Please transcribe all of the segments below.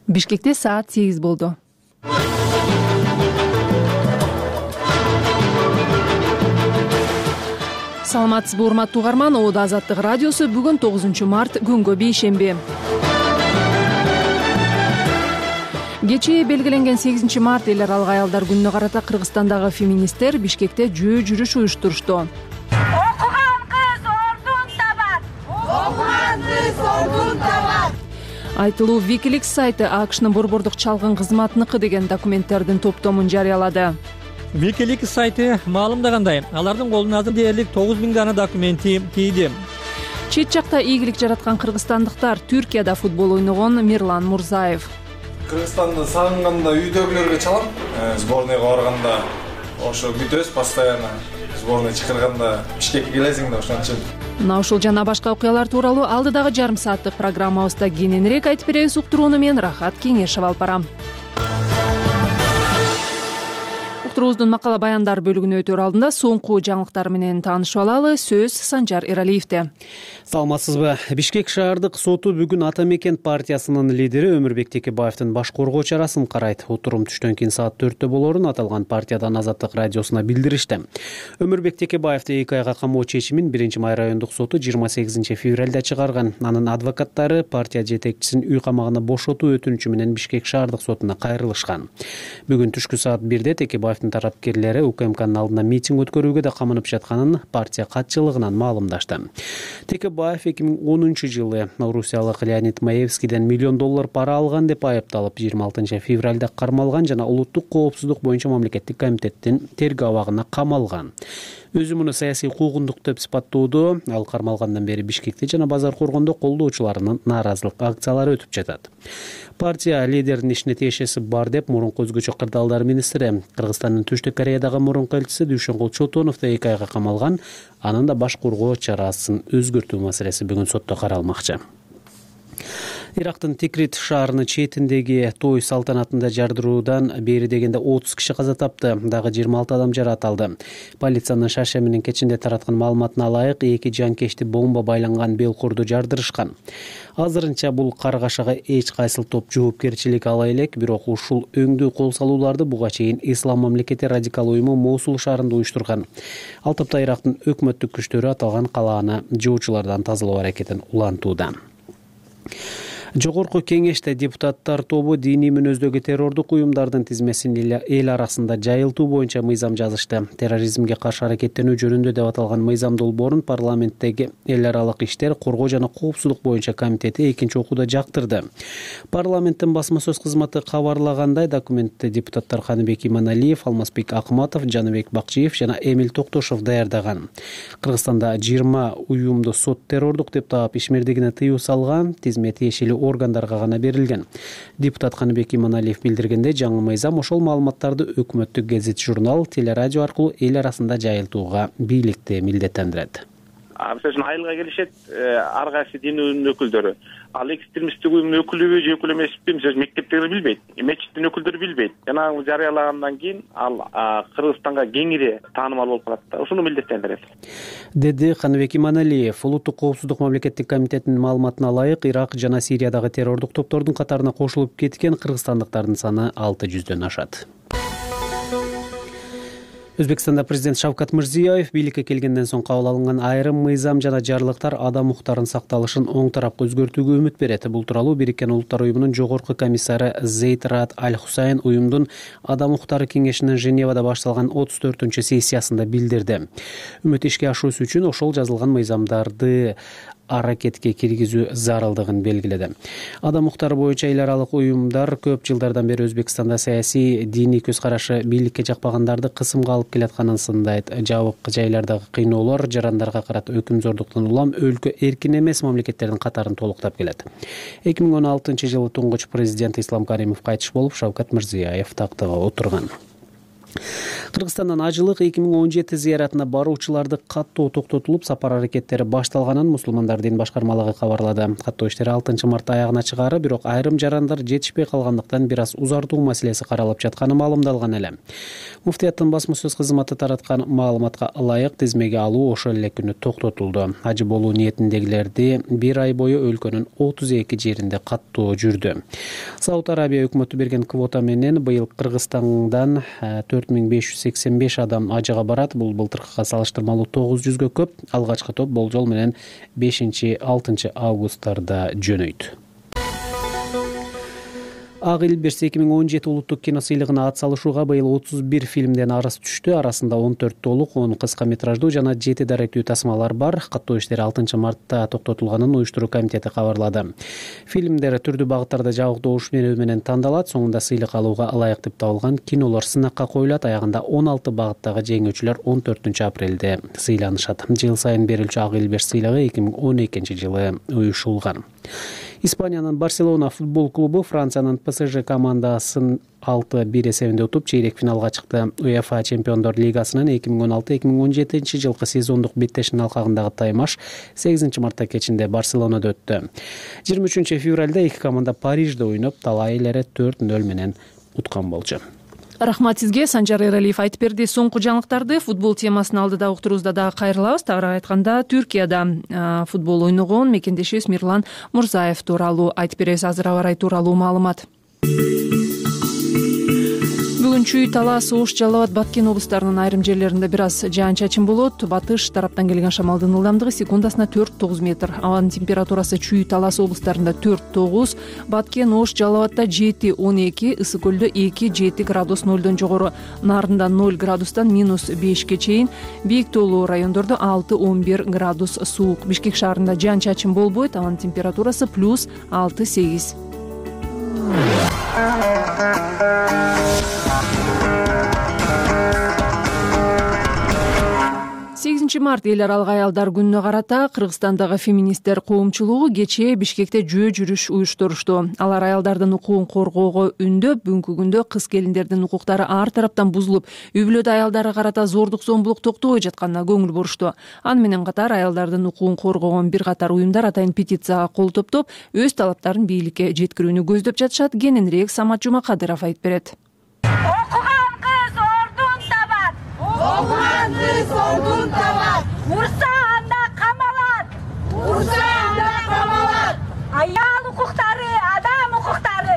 Бишкекте саат 8 болду. Саламатсызбы, урматтуу угарман. Оодо Азаттык радиосу бүгүн 9 март күнгө бейшемби. Кечээ белгиленген 8 март эл аралык аялдар күнүнө карата Кыргызстандагы феминисттер Бишкекте жөө жүрүш уюштурушту. Окуган кыз ордун табат. Окуган кыз ордун табат. Айтылуу Wikileaks сайты АКШнын борбордук чалгын кызматыныкы деген документтердин топтомун жарыялады. Wikileaks сайты маалымдагандай, алардын колуна азыр дээрлик 9000 дана документи тийди. Чет жакта ийгилик жараткан кыргызстандыктар Түркияда футбол ойногон Мирлан Мурзаев. Кыргызстанды сагынганда үйдөгүлөргө чалам. Сборныйга барганда ошо күтөбүз постоянно. Сборный чакырганда Бишкекке келесиң да ошончо. Мына ушул жана башка окуялар тууралуу алдыдагы жарым сааттык программабызда кененирээк айтып беребиз. Уктурууну мен Рахат Кеңешева алып барам. Уктуруубуздун макала баяндар бөлүгүнө өтөр алдында соңку жаңылыктар менен таанышып алалы. Сөз Санжар Эралиевде. Саламатсызбы? Бишкек шаардык соту бүгүн Ата мекен партиясынын лидери Өмүрбек Текебаевдин баш коргоо чарасын карайт. Отурум түштөн кийин саат 4тө болоорун аталган партиядан Азаттык радиосуна билдиришти. Өмүрбек Текебаевди 2 айга камоо чечимин 1-май райондук соту 28 февралда чыгарган. Анын адвокаттары партия жетекчисин үй камагына бошотуу өтүнүчү менен Бишкек шаардык сотуна кайрылышкан. Бүгүн түшкү саат 1де Текебаевдин тарапкерлери УКМКнын алдында митинг өткөрүүгө да камынып жатканын партия катчылыгынан маалымдашты. Текебаев 2010 жылы орусиялык Леонид Маевскийден $1 миллион пара алган деп айыпталып 26 февралда кармалган жана улуттук коопсуздук боюнча мамлекеттик комитеттин тергөө абагына камалган. Өзү муну саясий куугундук деп сыпаттоодо, ал кармалгандан бери Бишкекте жана Базар Коргондо колдоочуларынын нааразылык акциялары өтүп жатат. Партия лидеринин ишине тиешеси бар деп мурунку өзгөчө кырдаалдар министри, Кыргызстандын Түштүк Кореядагы мурунку элчиси Дүйшөнгул Чотонов да 2 айга камалган. Анын да баш коргоо чарасын өзгөртүү маселеси бүгүн сотто каралмакчы. Ирактын Тикрит шаарынын четиндеги той салтанатында жардыруудан бери дегенде 30 киши каза тапты, дагы 26 адам жаракат алды. Полициянын Шашеминин кечинде тараткан маалыматына ылайык 2 жанкечти бомба байланган белкурду жардырышкан. Азырынча бул каргашага эч кайсыл топ жоопкерчилик ала элек, бирок ушул өңдүү кол салууларды буга чейин Ислам мамлекети радикал уюму Мосул шаарында уюштурган. Ал топто Ирактын өкмөттүк күчтөрү аталган калааны жоочулардан тазалоо аракетин улантууда. Жогорку кеңеште депутаттар тобу диний мүнөздөгү террордук уюмдардын тизмесин эл арасында жайылтуу боюнча мыйзам жазышты. Терроризмге каршы аракеттенүү жөнүндө деп аталган мыйзам долбоорун парламенттеги эл аралык иштер, коргоо жана коопсуздук боюнча комитети экинчи окууда жактырды. Парламенттин басма сөз кызматы кабарлагандай, документти депутаттар Каныбек Иманалиев, Алмазбек Акматов, Жаныбек Бакчиев жана Эмил Токтошов даярдаган. Кыргызстанда 20 уюмду сот террордук деп таап ишмердигине тыюу салган, тизме тиешелүү органдарга гана берилген. Депутат Каныбек Иманалиев билдиргенде, жаңы мыйзам ошол маалыматтарды өкмөттүк гезит, журнал, телерадио аркылуу эл арасында жайылтууга бийликти милдеттендирет. Мисалы айылга келишет ар кайсы дин өкүлдөрү. Ал экстремисттик уюмдун өкүлүбү же өкүл эмеспи, мисалы мектептеги билбейт, мечиттин өкүлдөрү билбейт. Жанагы жарыялагандан кийин ал Кыргызстанга кеңири таанымал болуп калат да, ушуну милдеттендирет. Деди Каныбек Иманалиев. Улуттук коопсуздук мамлекеттик комитетинин маалыматына ылайык, Ирак жана Сириядагы террордук топтордун катарына кошулуп кеткен кыргызстандыктардын саны 600дөн ашат. Өзбекстанда президент Шавкат Мирзиёев бийликке келгенден соң кабыл алынган айрым мыйзам жана жарлыктар адам укуктарынын сакталышын оң тарапка өзгөртүүгө үмүт берет. Бул тууралуу Бириккен Улуттар уюмунун жогорку комиссары Зейд Раад Аль-Хусайн уюмдун адам укуктары кеңешинин Женевада башталган 34-сессиясында билдирди. Үмүт ишке ашуусу үчүн ошол жазылган мыйзамдарды аракетке киргизүү зарылдыгын белгиледи. Адам укуктары боюнча эл аралык уюмдар көп жылдардан бери Өзбекстанда саясий, диний көз карашы бийликке жакпагандарды кысымга алып келатканын сындайт. Жабык жайлардагы кыйноолор жарандарга карата өкүм-зордуктан улам өлкө эркин эмес мамлекеттердин катарын толуктап келет. 2016 жылы туңгуч президент Ислам Каримов кайтыш болуп, Шавкат Мирзиёев тактыга отурган. Кыргызстандан ажылык 2017 зыяратына баруучуларды каттоо токтотулуп, сапар аракеттери башталганын Мусулмандар дин башкармалыгы кабарлады. Каттоо иштери 6 мартта аягына чыгары, бирок айрым жарандар жетишпей калгандыктан бир аз узартуу маселеси каралып жатканы маалымдалган эле. Муфтияттын басма сөз кызматы тараткан маалыматка ылайык тизмеге алуу ошол эле күнү токтотулду. Ажы болуу ниетиндегилерди бир ай бою өлкөнүн 32 жеринде каттоо жүрдү. Сауд Арабия өкмөтү берген квота менен быйыл Кыргызстандан 4585 адам ажыга барат. Бул былтыркыга салыштырмалуу 900гө көп. Алгачкы топ болжол менен 5-6 августтарда жөнөйт. Ак Илбирс 2017 улуттук кино сыйлыгына ат салышууга быйыл 31 фильмден арыз түштү. Арасында 14 толук, 10 кыска метраждуу жана 7 даректүү тасмалар бар. Каттоо иштери 6 мартта токтотулганын уюштуруу комитети кабарлады. Фильмдер түрдүү багыттарда жабыктоош менен тандалат. Соңунда сыйлык алууга ылайык деп табылган кинолор сынакка коюлат. Аягында 16 багыттагы жеңүүчүлөр 14 апрелде сыйланышат. Жыл сайын берилчү Ак Илбирс сыйлыгы 2012 жылы уюшулган. Испаниянын Барселона футбол клубу Франциянын ПСЖ командасын 6-1 эсебинде утуп, чейрек финалга чыкты. УЕФА Чемпиондор лигасынын 2016-2017 жылкы сезондук беттешинин алкагындагы таймаш 8 мартта кечинде Барселонада өттү. 23 февралда эки команда Парижде ойноп, талай эле 4-0 менен уткан болчу. Рахмат сизге, Санжар Эралиев айтып берди. Соңку жаңылыктарды футбол темасын алдыда уктуруубузда дагы кайрылабыз. Тагыраак айтканда, Түркияда футбол ойногон мекендешибиз Мирлан Мурзаев тууралуу айтып беребиз. Азыр аба ырайы тууралуу маалымат. Бүгүн Чүй, Талас, Ош, Жалал абад, Баткен облустарынын айрым жерлеринде бир аз жаан-чачын болот. Батыш тараптан келген шамалдын ылдамдыгы секундасына 4-9 метр. Абанын температурасы Чүй, Талас облустарында 4-9, Баткен, Ош, Жалал абадда 7-12, Ысык көлдө 2-7 градус нөлдөн жогору, Нарында 0 градустан -5ке чейин, бийик тоолуу райондордо 6-11 градус суук. Бишкек шаарында жаан-чачын болбойт, абанын температурасы +6-8. 8 март эл аралык аялдар күнүнө карата Кыргызстандагы феминисттер коомчулугу кечээ Бишкекте жөө жүрүш уюштурушту. Алар аялдардын укугун коргоого үндөп, бүгүнкү күндө кыз келиндердин укуктары ар тараптан бузулуп, үй бүлөдө аялдарга карата зордук зомбулук токтобой жатканына көңүл бурушту. Аны менен катар аялдардын укугун коргогон бир катар уюмдар атайын петицияга кол топтоп, өз талаптарын бийликке жеткирүүнү көздөп жатышат. Кененирээк Самат Жумакадыров айтып берет. Окуган кыз ордун табат. Окуган кыз ордун табат. Урса анда камалат. Урса анда камалат. Аял укуктары, адам укуктары.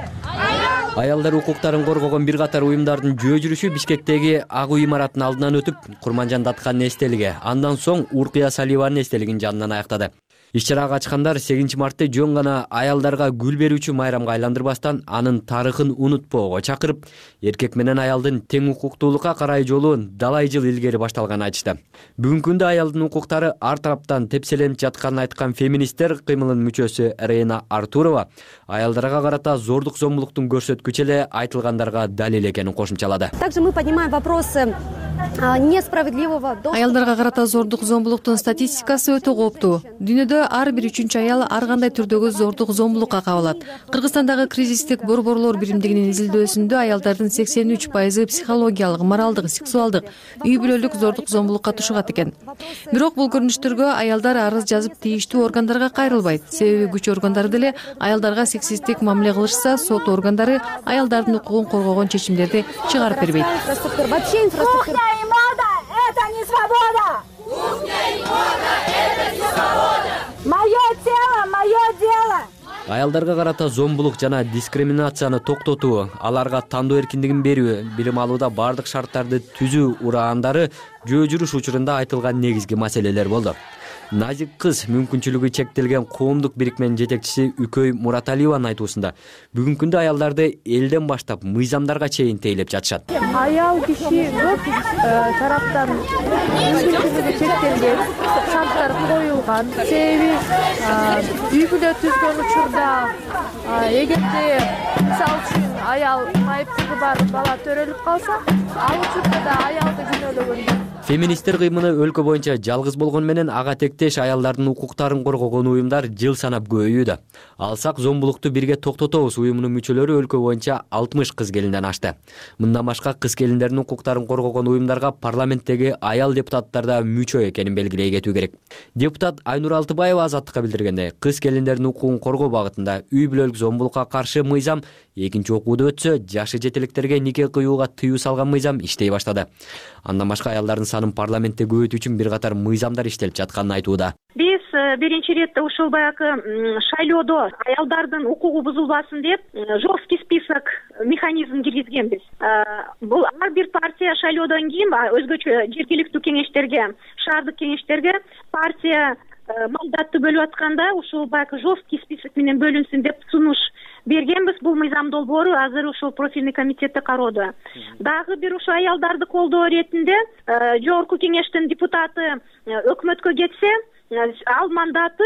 Аялдар укуктарын коргогон бир катар уюмдардын жөө жүрүшү Бишкектеги Ак үй имаратынын алдынан өтүп, Курманжан Даткандын эстелиги, андан соң Уркуя Салиеванын эстелигинин жанынан аяктады. Иш-чарага катышкандар 8 мартта жөн гана аялдарга гүл берүүчү майрамга айландырбастан, анын тарыхын унутпоого чакырып, эркек менен аялдын тең укуктуулукка карай жолу далай жыл илгери башталганын айтышты. Бүгүнкү күндө аялдын укуктары ар тараптан тепселенип жатканын айткан феминисттер кыймылынын мүчөсү Рейна Артурова аялдарга карата зордук зомбулуктун көрсөткүчү эле айтылгандарга далил экенин кошумчалады. Также мы поднимаем вопросы несправедливого. Аялдарга карата зордук зомбулуктун статистикасы өтө кооптуу. Дүйнөдө ар бир 3-чү аял ар кандай түрдөгү зордук зомбулукка кабылат. Кыргызстандагы кризистик борборлор биримдигинин изилдөөсүндө аялдардын 83% психологиялык, моралдык, сексуалдык, үй бүлөлүк зордук зомбулукка тушугат экен. Бирок бул көрүнүштөргө аялдар арыз жазып тийиштүү органдарга кайрылбайт. Себеби күч органдары деле аялдарга сексисттик мамиле кылышса, сот органдары аялдардын укугун коргогон чечимдерди чыгарып бербейт. Кухня и мода – это не свобода! Кухня и мода – это не свобода! Мое тело, мое дело! Аялдарга карата зомбулук жана дискриминацияны токтотуу, аларга тандоо эркиндигин берүү, билим алууда бардык шарттарды түзүү ураандары жөө жүрүш учурунда айтылган негизги маселелер болду. Назик кыз мүмкүнчүлүгү чектелген коомдук бирикменин жетекчиси Үкөй Мураталиеванын айтуусунда, бүгүнкү күндө аялдарды элден баштап мыйзамдарга чейин тейлеп жатышат. Аял киши көп тараптан мүмкүнчүлүгү чектелген, шарттар коюлган. Себеби үй бүлө түзгөн учурда эгерде мисалы үчүн аял майыптыгы бар бала төрөлүп калса, ал учурда да аялды күнөөлөгөн. Феминисттер кыймыны өлкө боюнча жалгыз болгону менен ага тектеш аялдардын укуктарын коргогон уюмдар жыл санап көбөйүүдө. Алсак зомбулукту бирге токтотобуз уюмунун мүчөлөрү өлкө боюнча 60 кыз келинден ашты. Мындан башка кыз келиндердин укуктарын коргогон уюмдарга парламенттеги аял депутаттар да мүчө экенин белгилей кетүү керек. Депутат Айнур Алтыбаева Азаттыкка билдиргендей, кыз келиндердин укугун коргоо багытында үй бүлөлүк зомбулукка каршы мыйзам экинчи окууда өтсө, жашы жетеликтерге нике кыюуга тыюу салган мыйзам иштей баштады. Андан башка аялдардын санын парламентте көбөйтүү үчүн бир катар мыйзамдар иштелип жатканын айтууда. Биз биринчи ирет ушул баягы шайлоодо аялдардын укугу бузулбасын деп жесткий список механизм киргизгенбиз. Бул ар бир партия шайлоодон кийин өзгөчө жергиликтүү кеңештерге, шаардык кеңештерге партия мандатты бөлүп атканда ушул баягы жесткий список менен бөлүнсүн деп сунуш бергенбиз. Бул мыйзам долбоору азыр ушул профильный комитетте кароодо. Дагы бир ушул аялдарды колдоо иретинде жогорку кеңештин депутаты өкмөткө кетсе, ал мандаты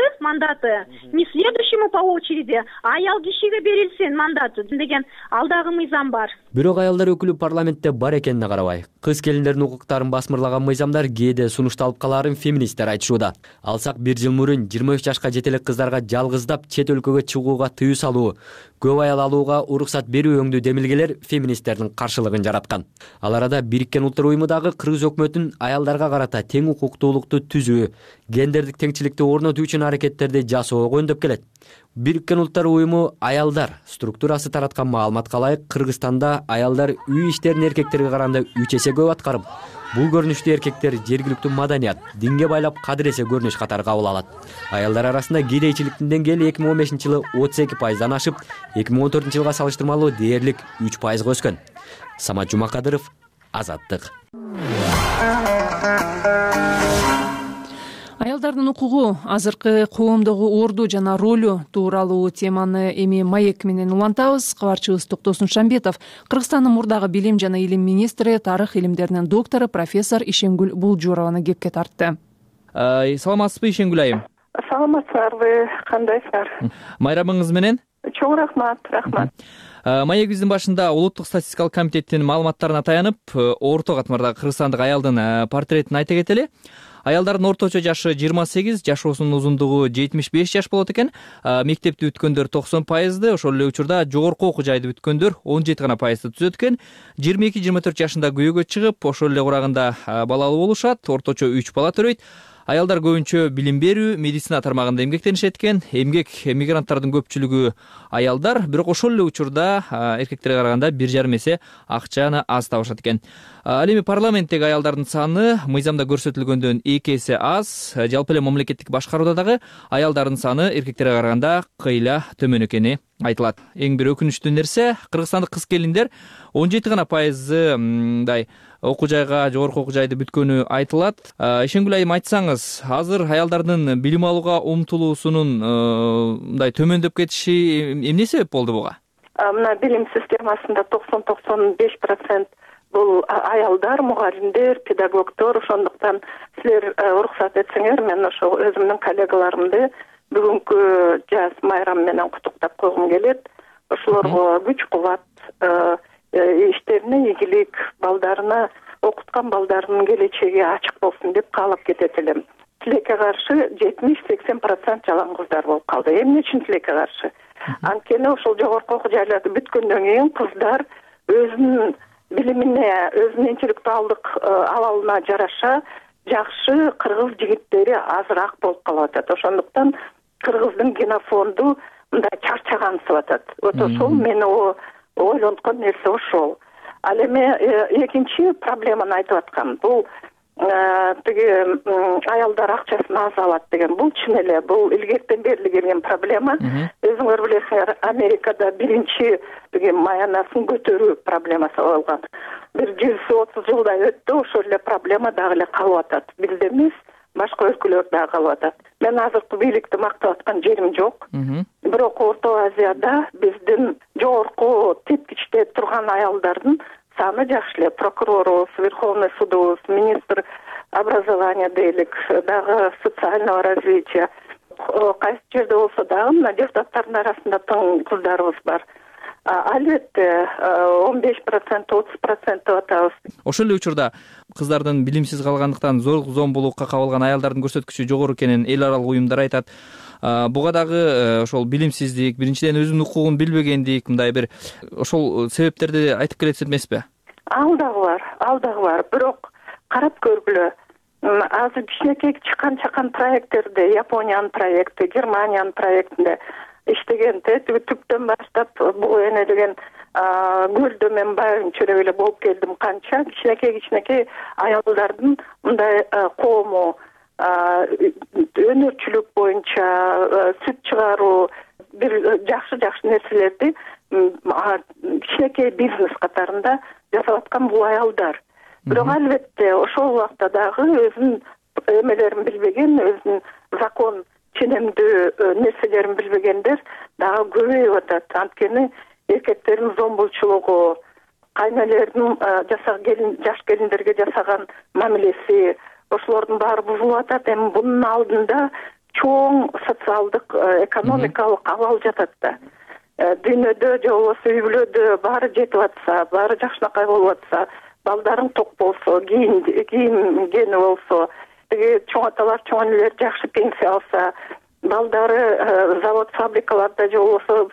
не следующему по очереди, аял кишиге берилсин мандаты деген ал дагы мыйзам бар. Бирок аялдар өкүлү парламентте бар экенине карабай, кыз келиндердин укуктарын басмырлаган мыйзамдар кээде сунушталып калаарын феминисттер айтышууда. Алсак бир жыл мурун 23 жашка жетелек кыздарга жалгыздап чет өлкөгө чыгууга тыюу салуу, көп аял алууга уруксат берүү өңдүү демилгелер феминисттердин каршылыгын жараткан. Ал арада Бириккен Улуттар уюму дагы кыргыз өкмөтүн аялдарга карата тең укуктуулукту түзүү, гендердик теңчиликти орнотуу үчүн аракеттерди жасоого өндөп келет. Бириккен Улуттар уюму аялдар структурасы тараткан маалыматка ылайык Кыргызстанда аялдар үй иштерин эркектерге караганда 3 эсе көп аткарып, бул көрүнүштү эркектер жергиликтүү маданият, динге байлап кадыр эсе көрүнүш катары кабыл алат. Аялдар арасында кедейчиликтин деңгээли 2015-жылы 32%дан ашып, 2014-жылга салыштырмалуу дээрлик 3%га өскөн. Самат Жумакадыров, Азаттык. Аялдардын укугу, азыркы коомдогу орду жана ролу тууралуу теманы эми маек менен улантабыз. Кабарчыбыз Токтосун Шамбетов, Кыргызстандын мурдагы билим жана илим министри, тарых илимдеринин доктору профессор Ишенгүл Булжурованы кепке тартты. Саламатсызбы, Ишенгүл айым? Саламатсыздарбы, кандайсыздар? Майрамыңыз менен? Чоң рахмат. Маегибиздин башында улуттук статистикалык комитеттин маалыматтарына таянып, орто катмардагы кыргызстандык аялдын портретин айта кетели. Аялдардын орточо жашы 28, жашоосунун узундугу 75 жаш болот экен. Мектепти бүткөндөр 90%, ошол эле учурда жогорку окуу жайды бүткөндөр 17% түзөт экен. 22-24 жашында күйөөгө чыгып, ошол эле курагында балалуу болушат, орточо 3 бала төрөйт. Аялдар көбүнчө билим берүү, медицина тармагында эмгектенишет экен. Эмгек мигранттардын көпчүлүгү аялдар, бирок ошол эле учурда эркектерге караганда 1,5 эсе акчаны аз табышат экен. Ал эми парламенттеги аялдардын саны мыйзамда көрсөтүлгөндөн 2 эсе аз. Жалпы эле мамлекеттик башкарууда дагы аялдардын саны эркектерге караганда кыйла төмөн экени айтылат. Эң бир өкүнүчтүү нерсе, кыргызстандык кыз келиндер 17% мындай окуу жайга, жогорку окуу жайды бүткөнү айтылат. Ишенгүл айым, айтсаңыз, азыр аялдардын билим алууга умтулуусунун мындай төмөндөп кетиши эмне себеп болду буга? Мына билим системасында 90-95% бул аялдар, мугалимдер, педагогдор. Ошондуктан силер уруксат этсеңер, мен ошо өзүмдүн коллегаларымды бүгүнкү жаз майрам менен куттуктап койгум келет. Ошолорго күч кубат, иштерине ийгилик, балдарына, окуткан балдарынын келечеги ачык болсун деп каалап кетет элем. Тилекке каршы 70-80% жалаң кыздар болуп калды. Эмне үчүн тилекке каршы? Анткени ошол жогорку окуу жайларды бүткөндөн кийин кыздар өзүнүн билимине, өзүнүн интеллектуалдык абалына жараша жакшы кыргыз жигиттери азыраак болуп калып атат. Ошондуктан кыргыздын генофонду мындай чарчагансып атат. Ошол мени ойлонткон нерсе ошол. Ал эми экинчи проблеманы айтып аткам. Бул тиги аялдар акчасын аз алат деген, бул чын эле, бул илгертен бери келген проблема. Өзүңөр билесиңер, Америкада биринчи тиги маянасын көтөрүү проблемасы болгон. Бир 130 жылдай өттү, ошол эле проблема дагы эле калып атат. Бизде эмес, башка өлкөлөрдө дагы калып атат. Мен азыркы бийликти мактап аткан жерим жок. Бирок Орто Азияда биздин жогорку тепкичте турган аялдардын саны жакшы эле. Прокурорубуз, Верховный судубуз, министр образования дейлик, дагы социального развития. Кайсы жерде болсо дагы мына депутаттардын арасында тың кыздарыбыз бар. Албетте 15%, 30% деп атабыз. Ошол эле учурда кыздардын билимсиз калгандыктан зорлук зомбулукка кабылган аялдардын көрсөткүчү жогору экенин эл аралык уюмдар айтат. Буга дагы ошол билимсиздик, биринчиден өзүнүн укугун билбегендик, мындай бир ошол себептерди айтып келесиз эмеспи? Ал дагы бар. Бирок карап көргүлө. Азыр кичинекей чакан проекттерде, Япониянын проекти, Германиянын проектинде иштегенде түптөн баштап бул эне деген көлдө мен байырынча эле болуп келдим. Канча кичинекей аялдардын мындай коому өнөрчүлүк боюнча сүт чыгаруу бир жакшы нерселерди кичинекей бизнес катарында жасап аткан бул аялдар. Бирок албетте ошол убакта дагы өзүнүн эмелерин билбеген, өзүнүн закон ченемдүү нерселерин билбегендер дагы көбөйүп атат. Анткени эркектердин зомбулчулугу, кайнелердин жаш келиндерге жасаган мамилеси, ошолордун баары бузулуп атат. Эми бунун алдында чоң социалдык, экономикалык абал жатат да. Дүйнөдө же болбосо үй бүлөдө баары жетип атса, баары жакшынакай болуп атса, балдарың ток болсо, кийимгени болсо, чоң аталар, чоң энелер жакшы пенсия алса, балдары завод, фабрикаларда же болбосо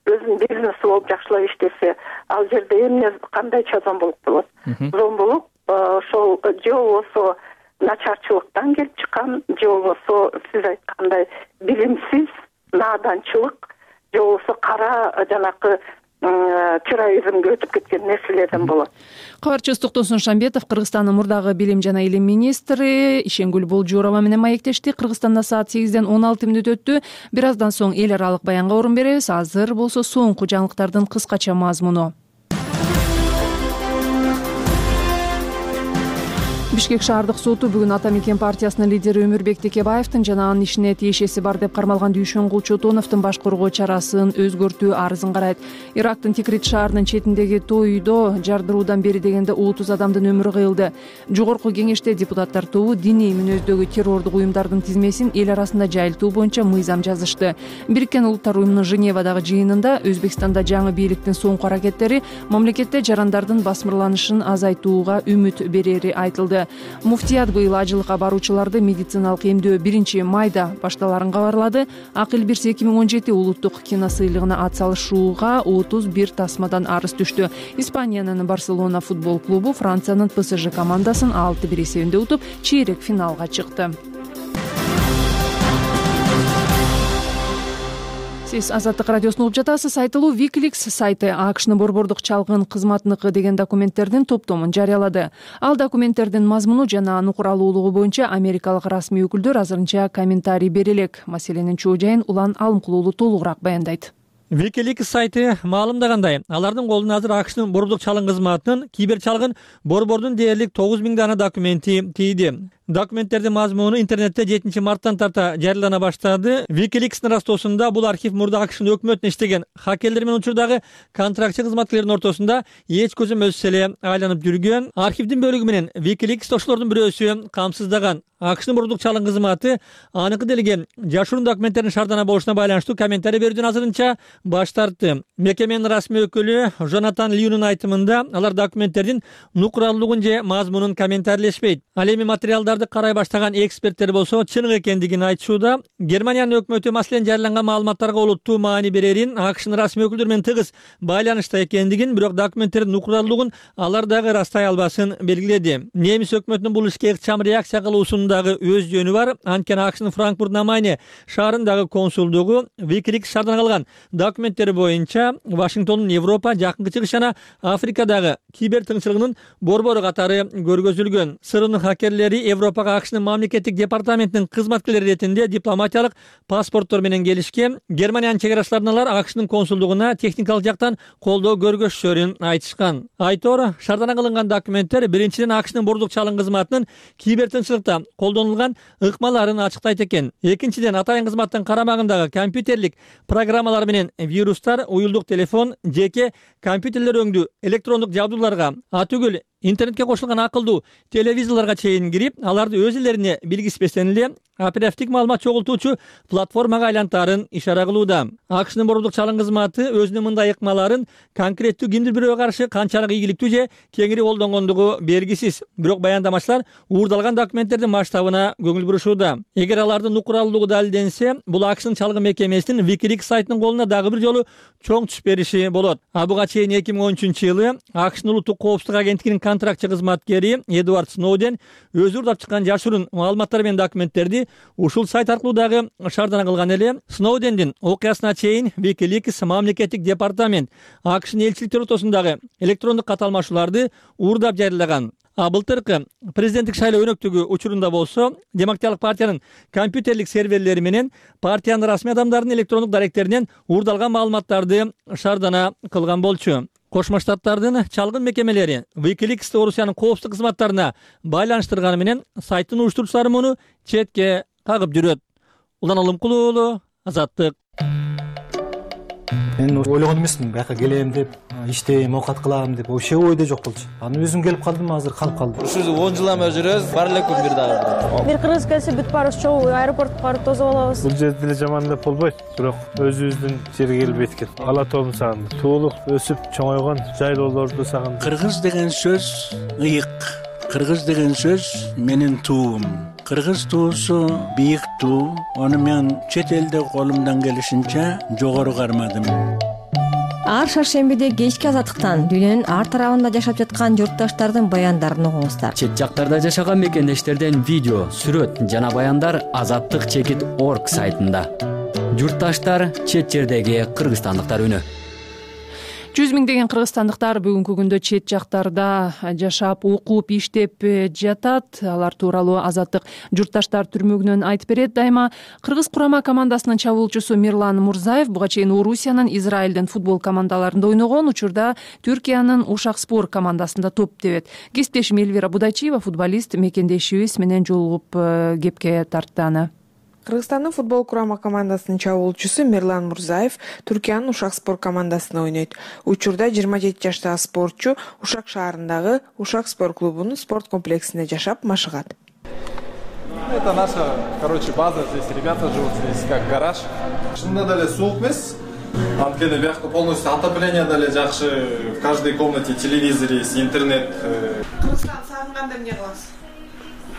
өзүнүн бизнеси болуп жакшылап иштесе, ал жерде эмне кандайча зомбулук болот? Зомбулук ошол же болбосо начарчылыктан келип чыккан, же болбосо сиз айткандай билимсиз нааданчылык, же болбосо кара жанакы терроризмге өтүп кеткен нерселерден болот. Кабарчыбыз Токтосун Шамбетов Кыргызстандын мурдагы билим жана илим министри Ишенгүл Болжуурова менен маектешти. Кыргызстанда саат 8-ден 16 мүнөт өттү. Бир аздан соң эл аралык баянга орун беребиз. Азыр болсо соңку жаңылыктардын кыскача мазмуну. Бишкек шаардык соту бүгүн Ата Мекен партиясынын лидери Өмүрбек Текебаевдин жана анын ишине тиешеси бар деп кармалган Дүйшөнгул Чотоновдун баш коргоо чарасын өзгөртүү арызын карайт. Ирактын Тикрит шаарынын четиндеги той үйдө жардыруудан бери дегенде 30 адамдын өмүрү кыйылды. Жогорку кеңеште депутаттар тобу диний мүнөздөгү террордук уюмдардын тизмесин эл арасында жайылтуу боюнча мыйзам жазышты. Бириккен Улуттар уюмунун Женевадагы жыйынында Өзбекстанда жаңы бийликтин соңку аракеттери мамлекетте жарандардын басмырланышын азайтууга үмүт берери айтылды. Муфтият быйыл ажылыкка баруучуларды медициналык эмдөө 1-майда башталарын кабарлады. Акыл Бирс 2017 улуттук киносыйлыгына ат салышууга 31 тасмадан арыз түштү. Испаниянын Барселона футбол клубу Франциянын ПСЖ командасын 6-1 эсебинде утуп, чейрек финалга чыкты. Сиз Азаттык радиосун угуп жатасыз. Айтылуу WikiLeaks сайты АКШнын борбордук чалгын кызматыныкы деген документтердин топтомун жарыялады. Ал документтердин мазмуну жана нукуралуулугу боюнча америкалык расмий өкүлдөр азырынча комментарий бере элек. Маселенин чоо жайын Улан Алымкулуулу толугураак баяндайт. WikiLeaks сайты маалымдагандай, алардын колуна азыр АКШнын борбордук чалгын кызматынын кибер чалгын борбордун дээрлик 9000 дана документи тийди. Документтердин мазмуну интернетте 7 марттан тарта жарыялана баштады. WikiLeaks'нын растоосунда бул архив мурда АКШнын өкмөтүнө иштеген хакерлер менен учурдагы контрактчы кызматкерлердин ортосунда эч көзөмөлсүз эле айланып жүргөн. Архивдин бөлүгү менен WikiLeaks ошолордун бирөөсү камсыздаган. АКШнын борбордук чалгын кызматы аныкы делген жашыруун документтердин шаардана болушуна байланыштуу комментарий берүүдөн азырынча баш тартты. Мекеменин расмий өкүлү Жонатан Льюнун айтымында алар документтердин нукуралуулугун же мазмунун комментарийлешпейт. Ал эми материалдарды карай баштаган эксперттер болсо чыныгы экендигин айтышууда. Германиянын өкмөтү маселен жарыяланган маалыматтарга олуттуу маани берерин, АКШнын расмий өкүлдөр менен тыгыз байланышта экендигин, бирок документтердин нукуралуулугун алар дагы растай албасын белгиледи. Немис өкмөтүнүн бул ишке ыкчам реакция кылуусунун дагы өз жөнү бар. Анткени АКШнын Франкфурт на Майне шаарындагы консулдугу WikiLeaks шаардан калган документтер боюнча Вашингтондун Европа, Жакынкы Чыгыш жана Африкадагы кибер тыңчылыгынын борбору катары көргөзүлгөн. СРНын хакерлери Европага АКШнын мамлекеттик департаментинин кызматкерлери ретинде дипломатиялык паспорттор менен келишкен. Германиянын чек арачыларынан алар АКШнын консулдугуна техникалык жактан колдоо көргөзүшөрүн айтышкан. Айтор, шаардана кылынган документтер биринчиден АКШнын борбордук чалгын кызматынын кибер тыңчылыкта колдонулган ыкмаларын ачыктайт экен. Экинчиден атайын кызматтын карамагындагы компьютерлик программалар менен вирустар, уюлдук телефон, жеке компьютерлер өңдүү электрондук жабдууларга, атүгүл интернетке кошулган акылдуу телевизорлорго чейин кирип, аларды өз элерине билгизбестен эле оперативдик маалымат чогултуучу платформага айлантаарын ишара кылууда. АКШнын борбордук чалым кызматы өзүнүн мындай ыкмаларын конкреттүү кимдир бирөөгө каршы канчалык ийгиликтүү же кеңири колдонгондугу белгисиз. Бирок баяндамачылар уурдалган документтердин масштабына көңүл бурушууда. Эгер алардын укуралуулугу далилденсе, бул АКШнын чалгы мекемесинин Wikileaks сайтынын колуна дагы бир жолу чоң түш бериши болот. Буга чейин 2013-жылы АКШнын улуттук коопсуздук агенттигинин контрактчы кызматкери Эдвард Сноуден өзү уурдап чыккан жашыруун маалыматтар менен документтерди ушул сайт аркылуу дагы шаардана кылган эле. Сноудендин окуясына чейин Wikileaks мамлекеттик департамент АКШнын элчиликтер ортосундагы электрондук кат алмашууларды уурдап жарыялаган. Былтыркы президенттик шайлоо өнөктүгү учурунда болсо, Демократиялык партиянын компьютерлик серверлери менен партиянын расмий адамдарынын электрондук даректеринен уурдалган маалыматтарды шаардана кылган болчу. Кошмо Штаттардын чалгын мекемелери Wikileaks'ты Орусиянын коопсуздук кызматтарына байланыштырганы менен сайттын уюштуруучулары муну четке кагып жүрөт. Улан Алымкул уулу, Азаттык. Мен ойлогон эмесмин, бияка келем деп, иштейм, оокат кылам деп, вообще ойдо жок болчу. Аны өзүм келип калдым, азыр калып калдым. Ушул 10 жылдан бери жүрөбүз, бар эле күн бир дагы. Бир кыргыз келсе бүт барыбыз чогуу аэропортко барып тосуп алабыз. Бул жерде деле жаман деп болбойт, бирок өзүбүздүн жерге келип эткен. Ала тоомду сагындым. Туулук, өсүп чоңойгон жайлоолорду сагындым. Кыргыз деген сөз ыйык. Кыргыз деген сөз менин туум. Кыргыз туусу бийик туу. Аны мен чет элде колумдан келишинче жогору кармадым. Ар шаршембиде кечки азаттыктан дүйнөнүн ар тарабында жашап жаткан журтташтардын баяндарын угуңуздар. Чет жактарда жашаган мекендештерден видео, сүрөт жана баяндар azattik.org сайтында. Журтташтар, чет жердеги кыргызстандыктар үнү. 100 миңдеген кыргызстандыктар бүгүнкү күндө чет жактарда жашап, окуп, иштеп жатат. Алар тууралуу Азаттык журтташтар түрмөгүнөн айтып берет. Дайыма кыргыз курама командасынын чабуулчусу Мирлан Мурзаев буга чейин Орусиянын, Израилдин футбол командаларында ойногон, учурда Түркиянын Ушакспор командасында топ тебет. Кесиптешим Элвира Будачиева футболист мекендешибиз менен жолугуп кепке тартты аны. Кыргызстандын футбол курама командасынын чабуулчусу Мирлан Мурзаев Түркиянын Ушакспор командасында ойнойт. Учурда 27 жаштагы спортчу Ушак шаарындагы Ушакспор клубунун спорт комплексинде жашап машыгат. Это наша, база. Здесь ребята живут, здесь как гараж. Шында деле суук эмес. Анткени биякта полностью отопление деле жакшы. В каждой комнате телевизор есть, интернет. Кыргызстанды сагынганда эмне кыласыз?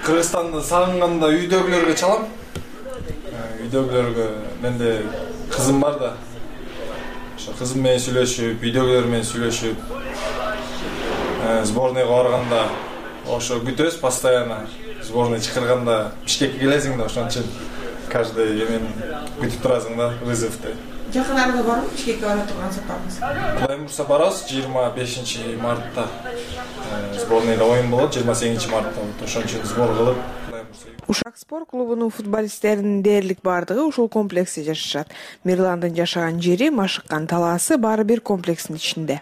Кыргызстанды сагынганда үйдөгүлөргө чалам. Үйдөгүлөргө менде кызым бар да. Ошо кызым менен сүйлөшүп, үйдөгүлөр менен сүйлөшүп, сборныйга барганда ошо күтөбүз постоянно. Сборный чакырганда Бишкекке келесиң да, ошон үчүн каждый эмен күтүп турасың да, вызовду. Жакын арада барбы Бишкекке бара турган сапарыңыз? Кудай буйрса барабыз 25 мартта. Сборныйда оюн болот 28 мартта. Ошон үчүн сбор кылып Ушакспор клубунун футболисттеринин дээрлик бардыгы ушул комплексте жашашат. Мирландын жашаган жери, машыккан талаасы баары бир комплекстин ичинде.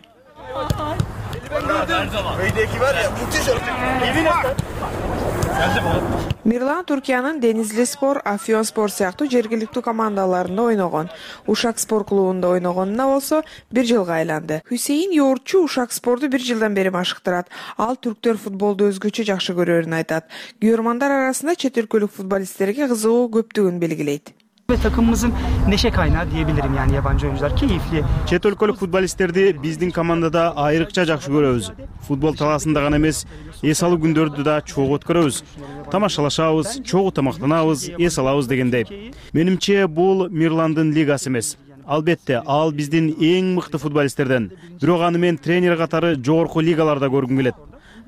Мирлан Түркиянын Денизли спор, Афион спор сыяктуу жергиликтүү командаларында ойногон. Ушакспор клубунда ойногонуна болсо 1 жылга айланды. Хусейин Yoğurtçu Ушакспорду 1 жылдан бери машыктырат. Ал түрктөр футболду өзгөчө жакшы көрөрүн айтат. Күйөрмандар арасында чет өлкөлүк футболисттерге кызыгуу көптүгүн белгилейт. Ve takımımızın neşe kaynağı diyebilirim, yani yabancı oyuncular keyifli. Чет өлкөлүк футболисттерди биздин командада айрыкча жакшы көрөбүз. Футбол талаасында гана эмес, эс алуу күндөрдү да чогуу өткөрөбүз. Тамашалашабыз, чогуу тамактанабыз, эс алабыз дегендей. Менимче бул Мирландын лигасы эмес. Албетте, ал биздин эң мыкты футболисттерден. Бирок аны мен тренер катары жогорку лигаларда көргүм келет.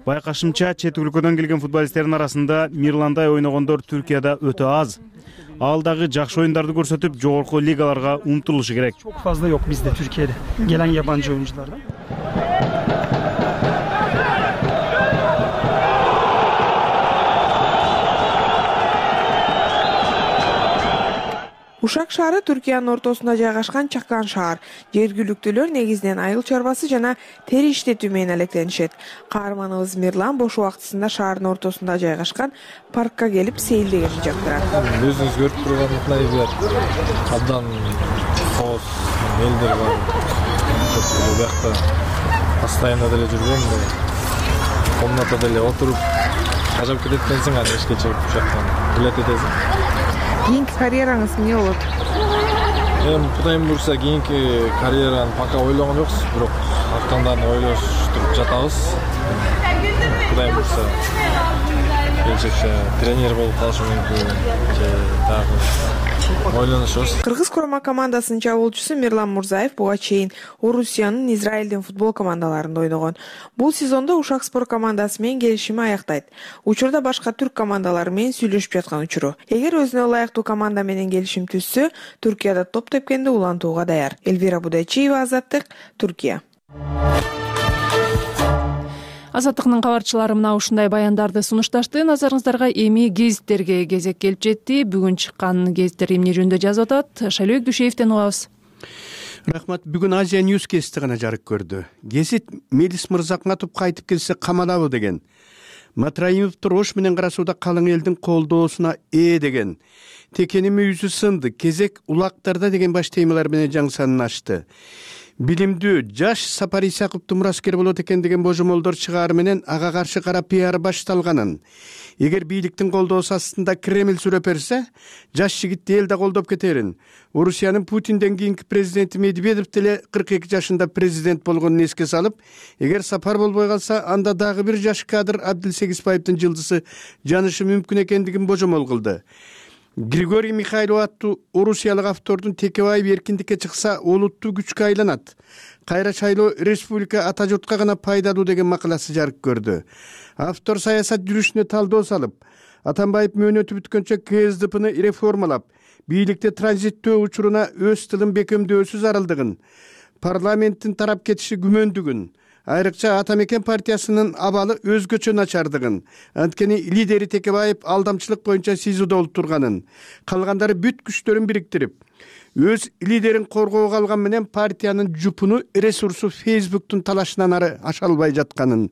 Байкашымча, чет өлкөдөн келген футболисттердин арасында Мирландай ойногондор Түркияда өтө аз. Ал дагы жакшы оюндарды көрсөтүп, жогорку лигаларга умтулушу керек. Çok fazla yok bizde Türkiye'de gelen yabancı oyunculardan. Ушак шаары Түркиянын ортосунда жайгашкан чакан шаар. Жергиликтүүлөр негизинен айыл чарбасы жана тери иштетүү менен алектенишет. Каарманыбыз Мирлан бош убактысында шаардын ортосунда жайгашкан паркка келип сейилдегенди жактырат. Өзүңүз көрүп тургандай абдан коос элдер бар. Бул жакта постоянно деле жүргөм. комнатада эле отуруп жашап кетет экенсиң, аны ишке чыгып ушактан билет этесиң. Кийинки карьераңыз эмне болот? Эми Кудайым буйрса кийинки карьераны пока ойлогон жокпуз, бирок актандарын ойлоштуруп жатабыз. Кудайым буйрса келечекте тренер болуп калышым мүмкүн же дагы ойлонушубуз. Кыргыз курама командасынын чабуулчусу Мирлан Мурзаев буга чейин Орусиянын, Израилдин футбол командаларында ойногон. Бул сезондо Ушак спорт командасы менен келишими аяктайт. Учурда башка түрк командалары менен сүйлөшүп жаткан учуру. Эгер өзүнө ылайыктуу команда менен келишим түзсө, Түркияда топ тепкенди улантууга даяр. Эльвира Будайчиева, Азаттык, Түркия. Азаттыктын кабарчылары мына ушундай баяндарды сунушташты. Назарыңыздарга эми гезиттерге кезек келип жетти. Бүгүн чыккан гезиттер эмне жөнүндө жазып атат? Шайлообек Дүйшеевден угабыз. Рахмат. Бүгүн Азия Ньюс гезити гана жарык көрдү. Гезит Мелис Мырзакматов кайтып келсе камалабы деген. Матраимовду рош менен карасууда калың элдин колдоосуна деген. Текеним үйүзү сынды, кезек улактарда деген баш темалар менен жаңсанын ачты. Билимдүү жаш Сапар Исаковду мураскер болот экен деген божомолдор чыгаар менен ага каршы кара пиар башталганын. Эгер бийликтин колдоосу астында Кремль сүрөп берсе, жаш жигитти эл да колдоп кетерин. Орусиянын Путинден кийинки президенти Медведев деле 42 жашында президент болгонун эске салып, эгер Сапар болбой калса, анда дагы бир жаш кадр Абдилсегизбаевдин жылдызы жанышы мүмкүн экендигин божомол кылды. Григорий Михайлов аттуу орусиялык автордун Текебаев эркиндикке чыкса олуттуу күчкө айланат. Кайра шайлоо республика ата журтка гана пайдалуу деген макаласы жарык көрдү. Автор саясат жүрүшүнө талдоо салып, Атамбаев мөөнөтү бүткөнчө КСДПны реформалап, бийликте транзиттөө учуруна өз тылын бекемдөөсүз аралдыгын, парламенттин тарап кетиши күмөндүгүн, айрыкча Атамекен партиясынын абалы өзгөчө начардыгын, анткени лидери Текебаев алдамчылык боюнча СИЗОдо олтурганын, калгандары бүт күчтөрүн бириктирип, өз лидерин коргоого алган менен партиянын жупуну ресурсу Фейсбуктун талашынан ары аша албай жатканын,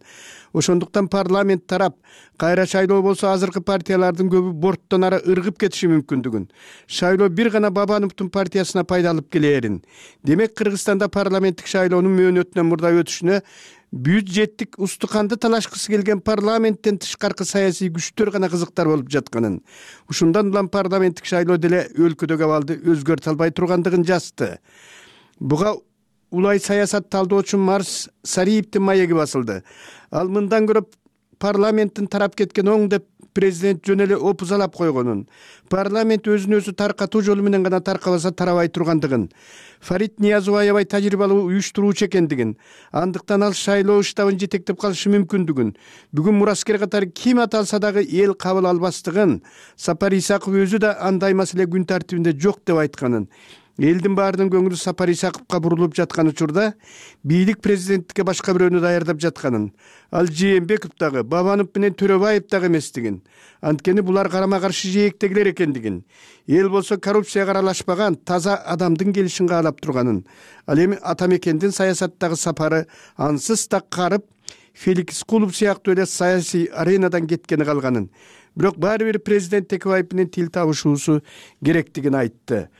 ошондуктан парламент тарап кайра шайлоо болсо азыркы партиялардын көбү борттон ары ыргып кетиши мүмкүндүгүн, шайлоо бир гана Бабановдун партиясына пайда алып келээрин. Демек Кыргызстанда парламенттик шайлоонун мөөнөтүнөн мурда өтүшүнө бюджеттик устуканды талашкысы келген парламенттен тышкаркы саясий күчтөр гана кызыктар болуп жатканын, ушундан улам парламенттик шайлоо деле өлкөдөгү абалды өзгөртө албай тургандыгын жазды. Буга улай саясат талдоочу Марс Сариевдин маеги басылды. Ал мындан көрө парламенттин тарап кеткен оң деп президент жөн эле опузалап койгонун, парламент өзүн өзү таркатуу жолу менен гана таркабаса тарабай тургандыгын, Фарид Ниязов аябай тажрыйбалуу уюштуруучу экендигин, андыктан ал шайлоо штабын жетектеп калышы мүмкүндүгүн, бүгүн мураскер катары ким аталса дагы эл кабыл албастыгын, Сапар Исаков өзү да андай маселе күн тартибинде жок деп айтканын, элдин баарынын көңүлү Сапар Исаковго бурулуп жаткан учурда бийлик президенттикке башка бирөөнү даярдап жатканын, ал Жээнбеков дагы, Бабанов менен Төрөбаев дагы эместигин, анткени булар карама каршы жээктегилер экендигин, эл болсо коррупцияга аралашпаган таза адамдын келишин каалап турганын, ал эми Атамекендин саясаттагы сапары ансыз так карып, Феликс Кулов сыяктуу эле саясий аренадан кеткени калганын, бирок баары бир президент Текебаев менен тил табышуусу керектигин айтты.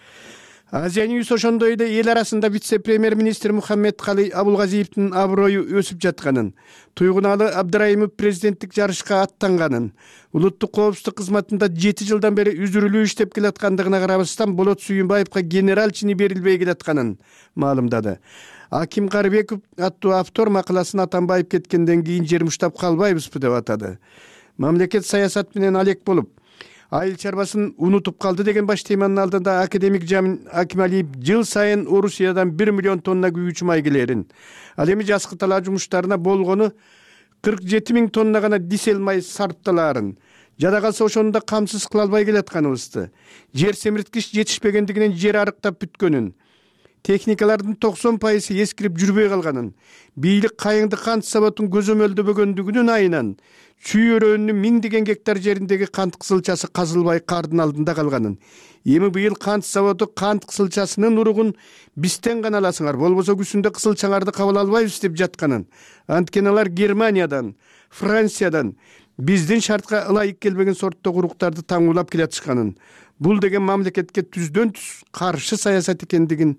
Азия Ньюс ошондой эле эл арасында вице-премьер-министр Мухаммедкалый Абулгазиевдин аброю өсүп жатканын, Туйгуналы Абдыраимов президенттик жарышка аттанганын, улуттук коопсуздук кызматында 7 жылдан бери үзүрүлүү иштеп келаткандыгына карабастан Болот Сүйүнбаевга генерал чини берилбей келатканын маалымдады. Аким Карыбеков аттуу автор макаласын Атамбаев кеткенден кийин жер муштап калбайбызбы деп атады. Мамлекет саясат менен алек болуп, айыл чарбасын унутуп калды деген баш теманын алдында академик Жамин Акималиев жыл сайын Орусиядан 1 миллион тонна күйүүчү май келерин, ал эми жазкы талаа жумуштарына болгону 47 000 тонна гана дизель май сарпталаарын, жада калса ошону да камсыз кыла албай келатканыбызды, жер семирткич жетишпегендигинен жер арыктап бүткөнүн, техникалардын 90% эскирип жүрбөй калганын, бийлик кайыңды кант заводун көзөмөлдөбөгөндүгүнүн айынан чүй өрөөнүнүн 1000 гектар жериндеги кант кызылчасы казылбай кардын алдында калганын, эми быйыл кант заводу кант кызылчасынын уругун бизден гана аласыңар, болбосо күзүндө кызылчаңарды кабыл албайбыз деп жатканын, анткени алар Германиядан, Франциядан биздин шартка ылайык келбеген сорттогу уруктарды таңуулап келатышканын, бул деген мамлекетке түздөн түз каршы саясат экендигин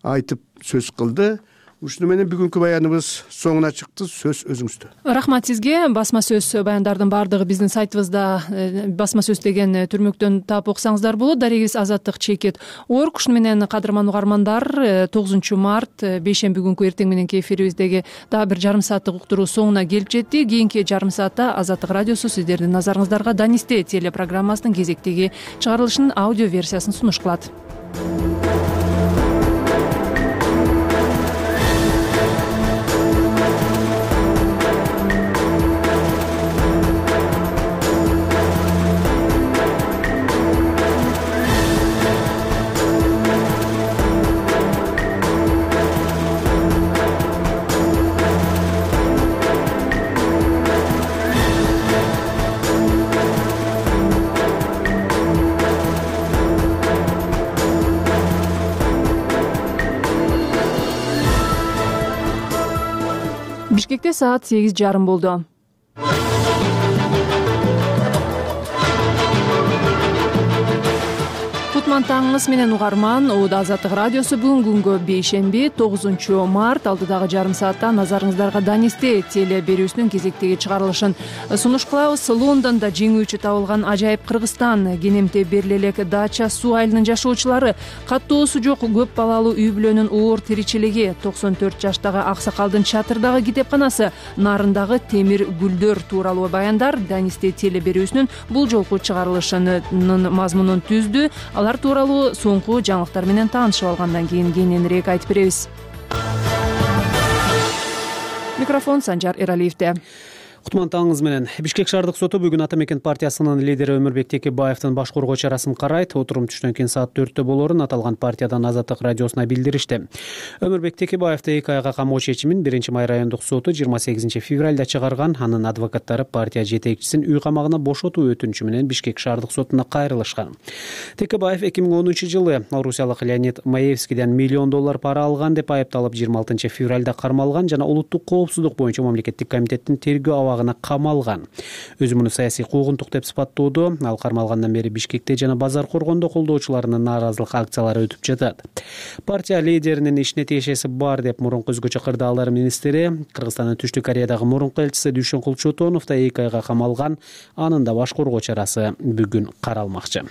айтып сөз кылды. ушуну менен бүгүнкү баяныбыз соңуна чыкты. Сөз өзүңүздө. Рахмат сизге. Басма сөз баяндардын баардыгы биздин сайтыбызда басма сөз деген түрмөктөн таап окусаңыздар болот. Дарегибиз Азаттык Чекит Орг. Ушуну менен кадырман угармандар 9 март бейшемби күнкү эртең мененки эфирибиздеги дагы бир жарым сааттык уктуруу соңуна келип жетти. Кийинки жарым саатта Азаттык радиосу сиздердин назарыңыздарга Данисте телепрограммасынын кезектеги чыгарылышынын аудио версиясын сунуш кылат. Бишкекте саат 8:30 болду. Кутман таңыңыз менен угарман. Оода Азаттык радиосу бүгүнкү күнгө бейшемби 9 март алдыдагы жарым саатта назарыңыздарга Данисте теле берүүсүнүн кезектеги чыгарылышын сунуш кылабыз. Лондондо жеңүүчү табылган ажайып Кыргызстан, Кенемте бериле элек Дача суу айылынын жашоочулары, каттоосу жок көп балалуу үй бүлөнүн оор тиричилиги, 94 жаштагы аксакалдын чатырдагы китепканасы, нарындагы темир гүлдөр тууралуу баяндар Данисте теле берүүсүнүн бул жолку чыгарылышынын мазмунун түздү. Алар тууралуу соңку жаңылыктар менен таанышып алгандан кийин кененирээк айтып беребиз. Микрофон Санжар Эралиевде. Кутман таңыңыз менен. Бишкек шаардык соту бүгүн Ата мекен партиясынын лидери Өмүрбек Текебаевдин баш коргоо чарасын карайт. Отурум түштөн кийин саат 4-тө болорун аталган партиядан Азаттык радиосуна билдиришти. Өмүрбек Текебаевди 2 айга камоо чечимин 1-май райондук соту 28 февралда чыгарган. Анын адвокаттары партия жетекчисин үй камагына бошотуу өтүнүчү менен Бишкек шаардык сотуна кайрылышкан. Текебаев 2010-жылы орусиялык Леонид Маевскийден $1 миллион пара алган деп айыпталып 26 февралда кармалган жана улуттук коопсуздук боюнча мамлекеттик комитеттин тергөө камалган. Өзү муну саясий куугунтук деп сыпаттоодо. Ал кармалгандан бери Бишкекте жана Базар Коргондо колдоочуларынын нааразылык акциялары өтүп жатат. Партия лидеринин ишине тиешеси бар деп мурунку өзгөчө кырдаалдар министри, Кыргызстандын Түштүк Кореядагы мурунку элчиси Дүйшөнкул Чотонов да 2 айга камалган. Анын да баш коргоо чарасы бүгүн каралмакчы.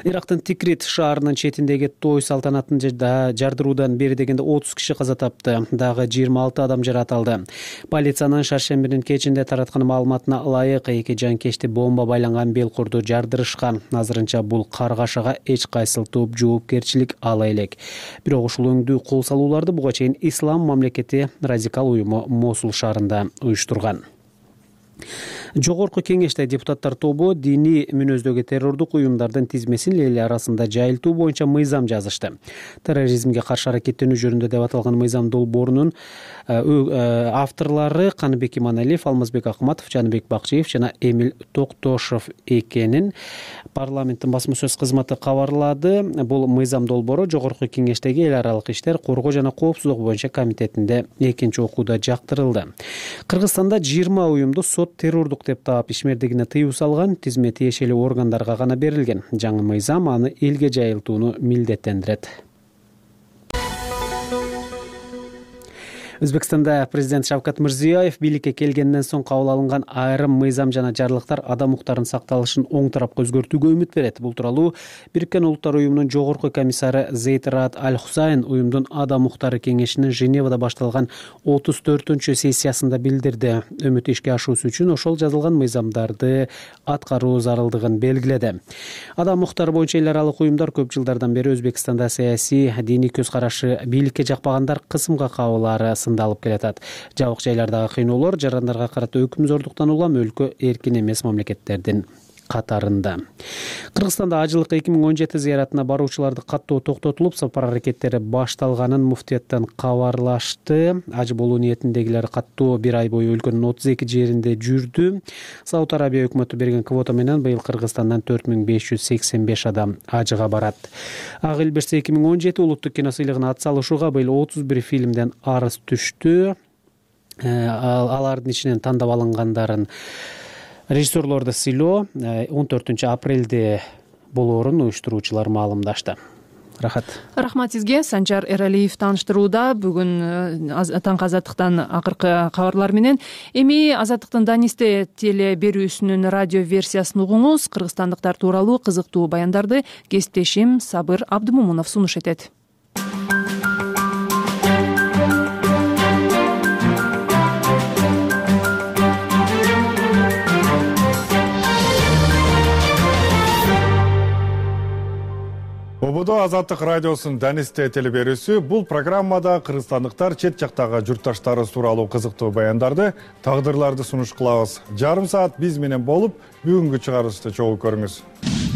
Ирактын Тикрит шаарынын четиндеги той салтанатын жардыруудан бери дегенде 30 киши каза тапты. Дагы 26 адам жаратылды. Полициянын шаршембинин кечинде тараткан маалыматына ылайык 2 жанкечти бомба байланган белкурду жардырышкан. Азырынча бул каргашага эч кайсыл топ жоопкерчилик ала элек. Бирок ушул өңдүү кол салууларды буга чейин Ислам мамлекети радикал уюму Мосул шаарында уюштурган. Жогорку кеңеште депутаттар тобу диний мүнөздөгү террордук уюмдардын тизмесин эл арасында жайылтуу боюнча мыйзам жазышты. Терроризмге каршы аракеттенүү жөнүндө деп аталган мыйзам долбоорунун авторлору Каныбек Иманалиев, Алмазбек Акматов, Жаныбек Бакчиев жана Эмил Токтошов экенин парламенттин басма сөз кызматы кабарлады. Бул мыйзам долбоору Жогорку кеңештеги эл аралык иштер, коргоо жана коопсуздук боюнча комитетинде экинчи окууда жактырылды. Кыргызстанда 20 уюмду сот террордук деп таап ишмердигине тыюу салган. Тизме тиешелүү органдарга гана берилген. Жаңы мыйзам аны элге жайылтууну милдеттендирет. Өзбекстанда президент Шавкат Мирзиёев бийликке келгенден соң кабыл алынган айрым мыйзам жана жарлыктар адам укуктарынын сакталышын оң тарапка өзгөртүүгө үмүт берет. Бул тууралуу Бириккен Улуттар уюмунун жогорку комиссары Зейд Раад Аль-Хусайн уюмдун адам укуктары кеңешинин Женевада башталган 34-чү сессиясында билдирди. Үмүт ишке ашуусу үчүн ошол жазылган мыйзамдарды аткаруу зарылдыгын белгиледи. Адам укуктары боюнча эл аралык уюмдар көп жылдардан бери Өзбекстанда саясий, диний көз карашы бийликке жакпагандар кысымга кабылары алып келатат. Жабык жайлардагы кыйноолор жарандарга карата өкүмзордуктан улам өлкө эркин эмес мамлекеттердин катарында. Кыргызстанда ажылык 2017 зыяратына баруучуларды каттоо токтотулуп, сапар аракеттери башталганын муфтияттан кабарлашты. Аж болуу ниетиндегилер каттоо 1 ай бою өлкөнүн 32 жеринде жүрдү. Сауд Арабия өкмөтү берген квота менен быйыл Кыргызстандан 4585 адам ажыга барат. Ак эл берсе 2017 улуттук кино сыйлыгына ат салышууга быйыл 31 фильмден арыз түштү. Алардын ичинен тандап алынгандарын режиссерлорду сыйлоо 14 апрелде болоорун уюштуруучулар маалымдашты. Рахмат сизге. Санжар Эралиев тааныштырууда бүгүн таңкы Азаттыктан акыркы кабарлар менен. Эми Азаттыктын Данисте теле берүүсүнүн радио версиясын угуңуз. Кыргызстандыктар тууралуу кызыктуу баяндарды кесиптешим Сабыр Абдымомунов сунуш этет. Ободо Азаттык радиосунун Данисте теле берүүсү бул программада кыргызстандыктар чет жактагы журтташтары тууралуу кызыктуу баяндарды, тагдырларды сунуш кылабыз. Жарым саат биз менен болуп, бүгүнкү чыгарылышты чогуу көрүңүз.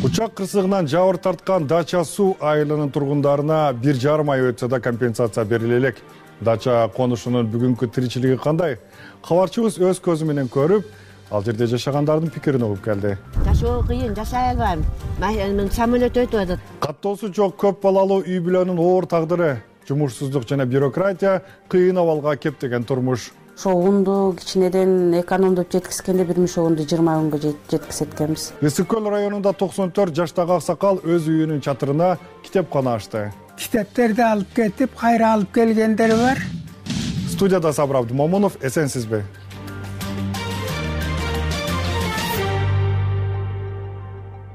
Учак кырсыгынан жабыр тарткан Дача суу айылынын тургундарына 1,5 ай өтсө да компенсация бериле элек. Дача конушунун бүгүнкү тиричилиги кандай? Кабарчыбыз өз көзү менен көрүп, ал жерде жашагандардын пикирин угуп келди. Жашоо кыйын, жашай албайм. Мен самолет өтүп атат. Каттоосу жок көп балалуу үй бүлөнүн оор тагдыры, жумушсуздук жана бюрократия, кыйын абалга кептеген турмуш. Ошо унду кичинеден экономдоп жеткизгенде 1 мишогунду 20 күнгө жеткизет экенбиз. Ысык көл районунда 94 жаштагы аксакал өз үйүнүн чатырына китепкана ачты. Китептерди алып кетип, кайра алып келгендер бар. Студияда Сабыр Абдымомунов, эсенсизби?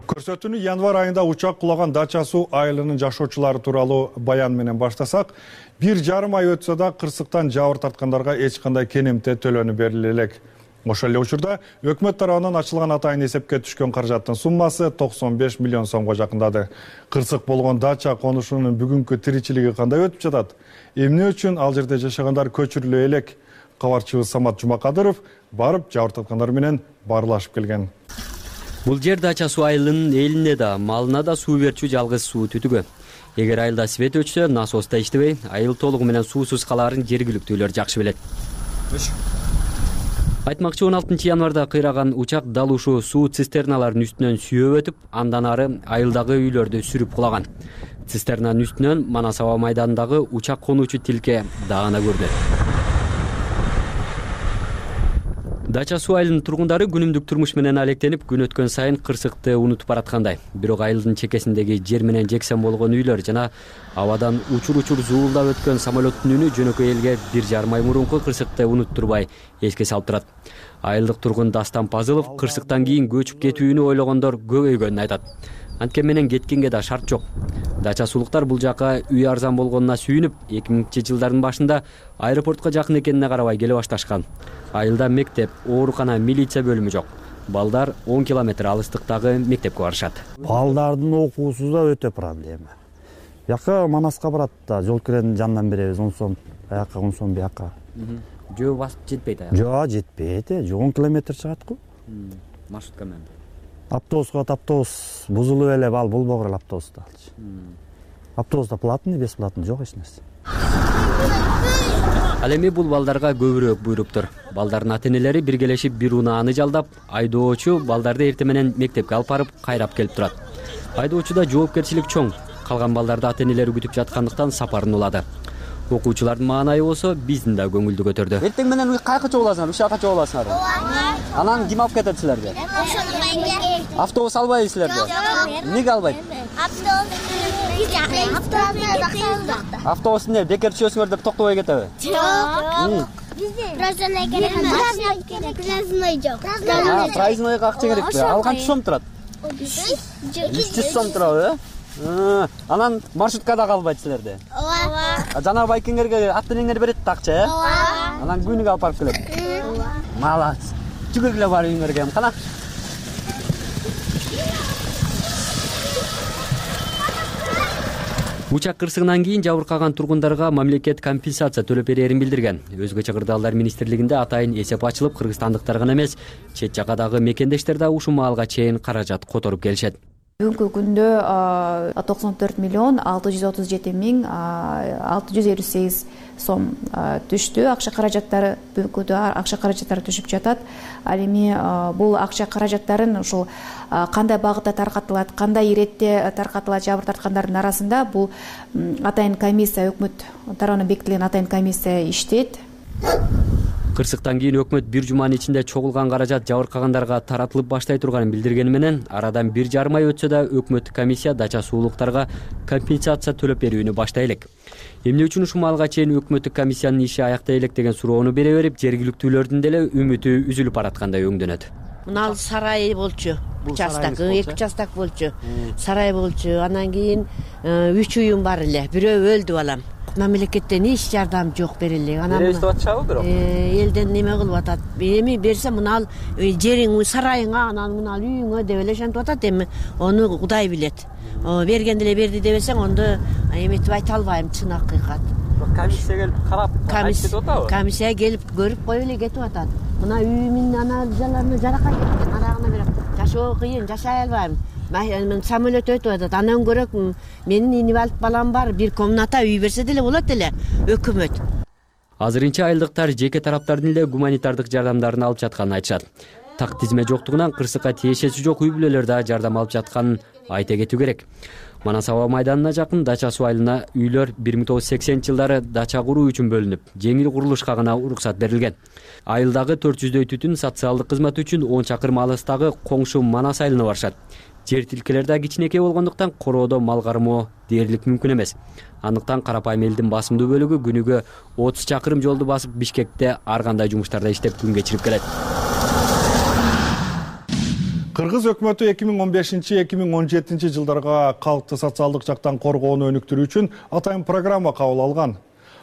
Көрсөтүүнү январь айында учак кулаган Дача суу айылынын жашоочулары тууралуу баян менен баштасак, 1,5 ай өтсө да кырсыктан жабыр тарткандарга эч кандай кенемте төлөнүп бериле элек. Ошол эле учурда өкмөт тарабынан ачылган атайын эсепке түшкөн каражаттын суммасы 95 миллион сомго жакындады. Кырсык болгон Дача конушунун бүгүнкү тиричилиги кандай өтүп жатат? Эмне үчүн ал жерде жашагандар көчүрүлө элек? Кабарчыбыз Самат Жумакадыров барып жабыр тарткандар менен баарлашып келген. Бул жер Дача суу айылынын элине да, малына да суу берчү жалгыз суу түтүгү. Эгер айылда свет өчсө, насос да иштебей, айыл толугу менен суусуз калаарын жергиликтүүлөр жакшы билет. Айтмакчы 16 январда кыйраган учак дал ушул суу цистерналарынын үстүнөн сүйөп өтүп, андан ары айылдагы үйлөрдү сүрүп кулаган. Цистернанын үстүнөн Манас аба майданындагы учак конуучу тилке даана көрдү. Дача суу айылынын тургундары күнүмдүк турмуш менен алектенип, күн өткөн сайын кырсыкты унутуп бараткандай. Бирок айылдын чекесиндеги жер менен жексен болгон үйлөр жана абадан учур-учур зуулдап өткөн самолеттун үнү жөнөкөй элге 1,5 ай мурунку кырсыкты унуттурбай эске салып турат. Айылдык тургун Дастан Пазылов кырсыктан кийин көчүп кетүүнү ойлогондор көбөйгөнүн айтат. Анткен менен кеткенге да шарт жок. Дача суулуктар бул жака үй арзан болгонуна сүйүнүп, 2000-жылдардын башында аэропортко жакын экенине карабай келе башташкан. Айылда мектеп, оорукана, милиция бөлүмү жок. Балдар 10 километр алыстыктагы мектепке барышат. Балдардын окуусу да өтө пырандуу эми. Бияка Манаска барат да, жол киренин жанынан беребиз, 10 сом, аяка 10 сом бияка. Жөө басып жетпейт аяка. Жөө жетпейт, 10 километр чыгат го. Маршрутка менен. Автобусга автобус бузулуп эле ал болбогор эле автобуста алчы. Автобуста платный, бесплатный жок эч нерсе. Ал эми бул балдарга көбүрөөк буйруптур. Балдардын ата-энелери биргелешип бир унааны жалдап, айдоочу балдарды эртең менен мектепке алып барып, кайрап келип турат. Айдоочуда жоопкерчилик чоң. Калган балдарды ата-энелери күтүп жаткандыктан сапарын улады. Окуучулардын маанайы болсо биздин да көңүлдү көтөрдү. Эртең менен кайка чогуласыңар, ушака чогуласыңар. Анан ким алып кетет силерди? Автобус албайбы силерди? Эмнеге албайт? Автобус эмне, бекер түшөсүңөр деп токтобой кетеби? Жок. Проездной керек. Проездной жок. Проезднойго акча керекпи? Ал канча сом турат? 300 сом турабы? Анан маршруткада калбайт силерди? Ооба. Жана байкеңерге ата-энеңер берет да акча, э? Анан күнүгө алып барып келет. Молодец. Жүгүргүлө бар үйүңөргө, кана. Учак кырсыгынан кийин жабыркаган тургундарга мамлекет компенсация төлөп берерин билдирген. Өзгөчө Кырдаалдар министрлигинде атайын эсеп ачылып, кыргызстандыктар гана эмес, чет жакадагы мекендештер да ушул маалга чейин каражат которуп келишет. Бүгүнкү күндө 94 миллион 637 миң 658 сом түштү. Акча каражаттары бүгүнкү акча каражаттары түшүп жатат. Ал эми бул акча каражаттарын ушул кандай багытта таркатылат, кандай иретте таркатылат жабыр тарткандардын арасында бул атайын комиссия, өкмөт тарабынан бекитилген атайын комиссия иштейт. Кырсыктан кийин өкмөт бир жуманын ичинде чогулган каражат жабыркагандарга таратылып баштай турганын билдиргени менен арадан 1,5 ай өтсө да өкмөттүк комиссия дача суулуктарга компенсация төлөп берүүнү баштай элек. Эмне үчүн ушул маалга чейин өкмөттүк комиссиянын иши аяктай элек деген суроону бере берип, жергиликтүүлөрдүн деле үмүтү үзүлүп бараткандай өңдөнөт. Мына сарай болчу, участок, 2 участок болчу, сарай болчу. Анан кийин 3 уюм бар эле. Бирөө өлдү балам. Мамлекеттен эч жардам жок бериле. Анан эстеп атышабы бирок? Элден неме кылып атат. Эми берсе мына жериң, сарайыңа, анан мына үйүңө деп эле шантип атат. Эми ону Кудай билет. Берген деле берди дебесең, онда эметип айта албайм, чын акыйкат. Комиссия келип карап айтып кетип атабы? Комиссия келип көрүп коюп эле кетип атат. Мына үйүмдүн аналарына жаракат кеткен, арагына берип жашоо кыйын, жашай албайм. Мен самолет өтүп атат. Андан көрөк менин инвалид балам бар, бир комната үй берсе деле болот эле өкмөт. Азырынча айылдыктар жеке тараптардын эле гуманитардык жардамдарын алып жатканын айтышат. Так тизме жоктугунан кырсыкка тиешеси жок үй бүлөлөр да жардам алып жатканын айта кетүү керек. Манас аба майданына жакын Дача суу айылына үйлөр 1980-жылдары дача куруу үчүн бөлүнүп, жеңил курулушка гана уруксат берилген. Айылдагы 400дөй түтүн социалдык кызмат үчүн 10 чакырым алыстагы коңшу Манас айылына барышат. Жер тилкелер да кичинекей болгондуктан короодо мал кармоо дээрлик мүмкүн эмес. Андыктан карапайым элдин басымдуу бөлүгү күнүгө 30 чакырым жолду басып Бишкекте ар кандай жумуштарда иштеп күн кечирип келет. Кыргыз өкмөтү 2015-2017 жылдарга калкты социалдык жактан коргоону өнүктүрүү үчүн атайын программа кабыл алган.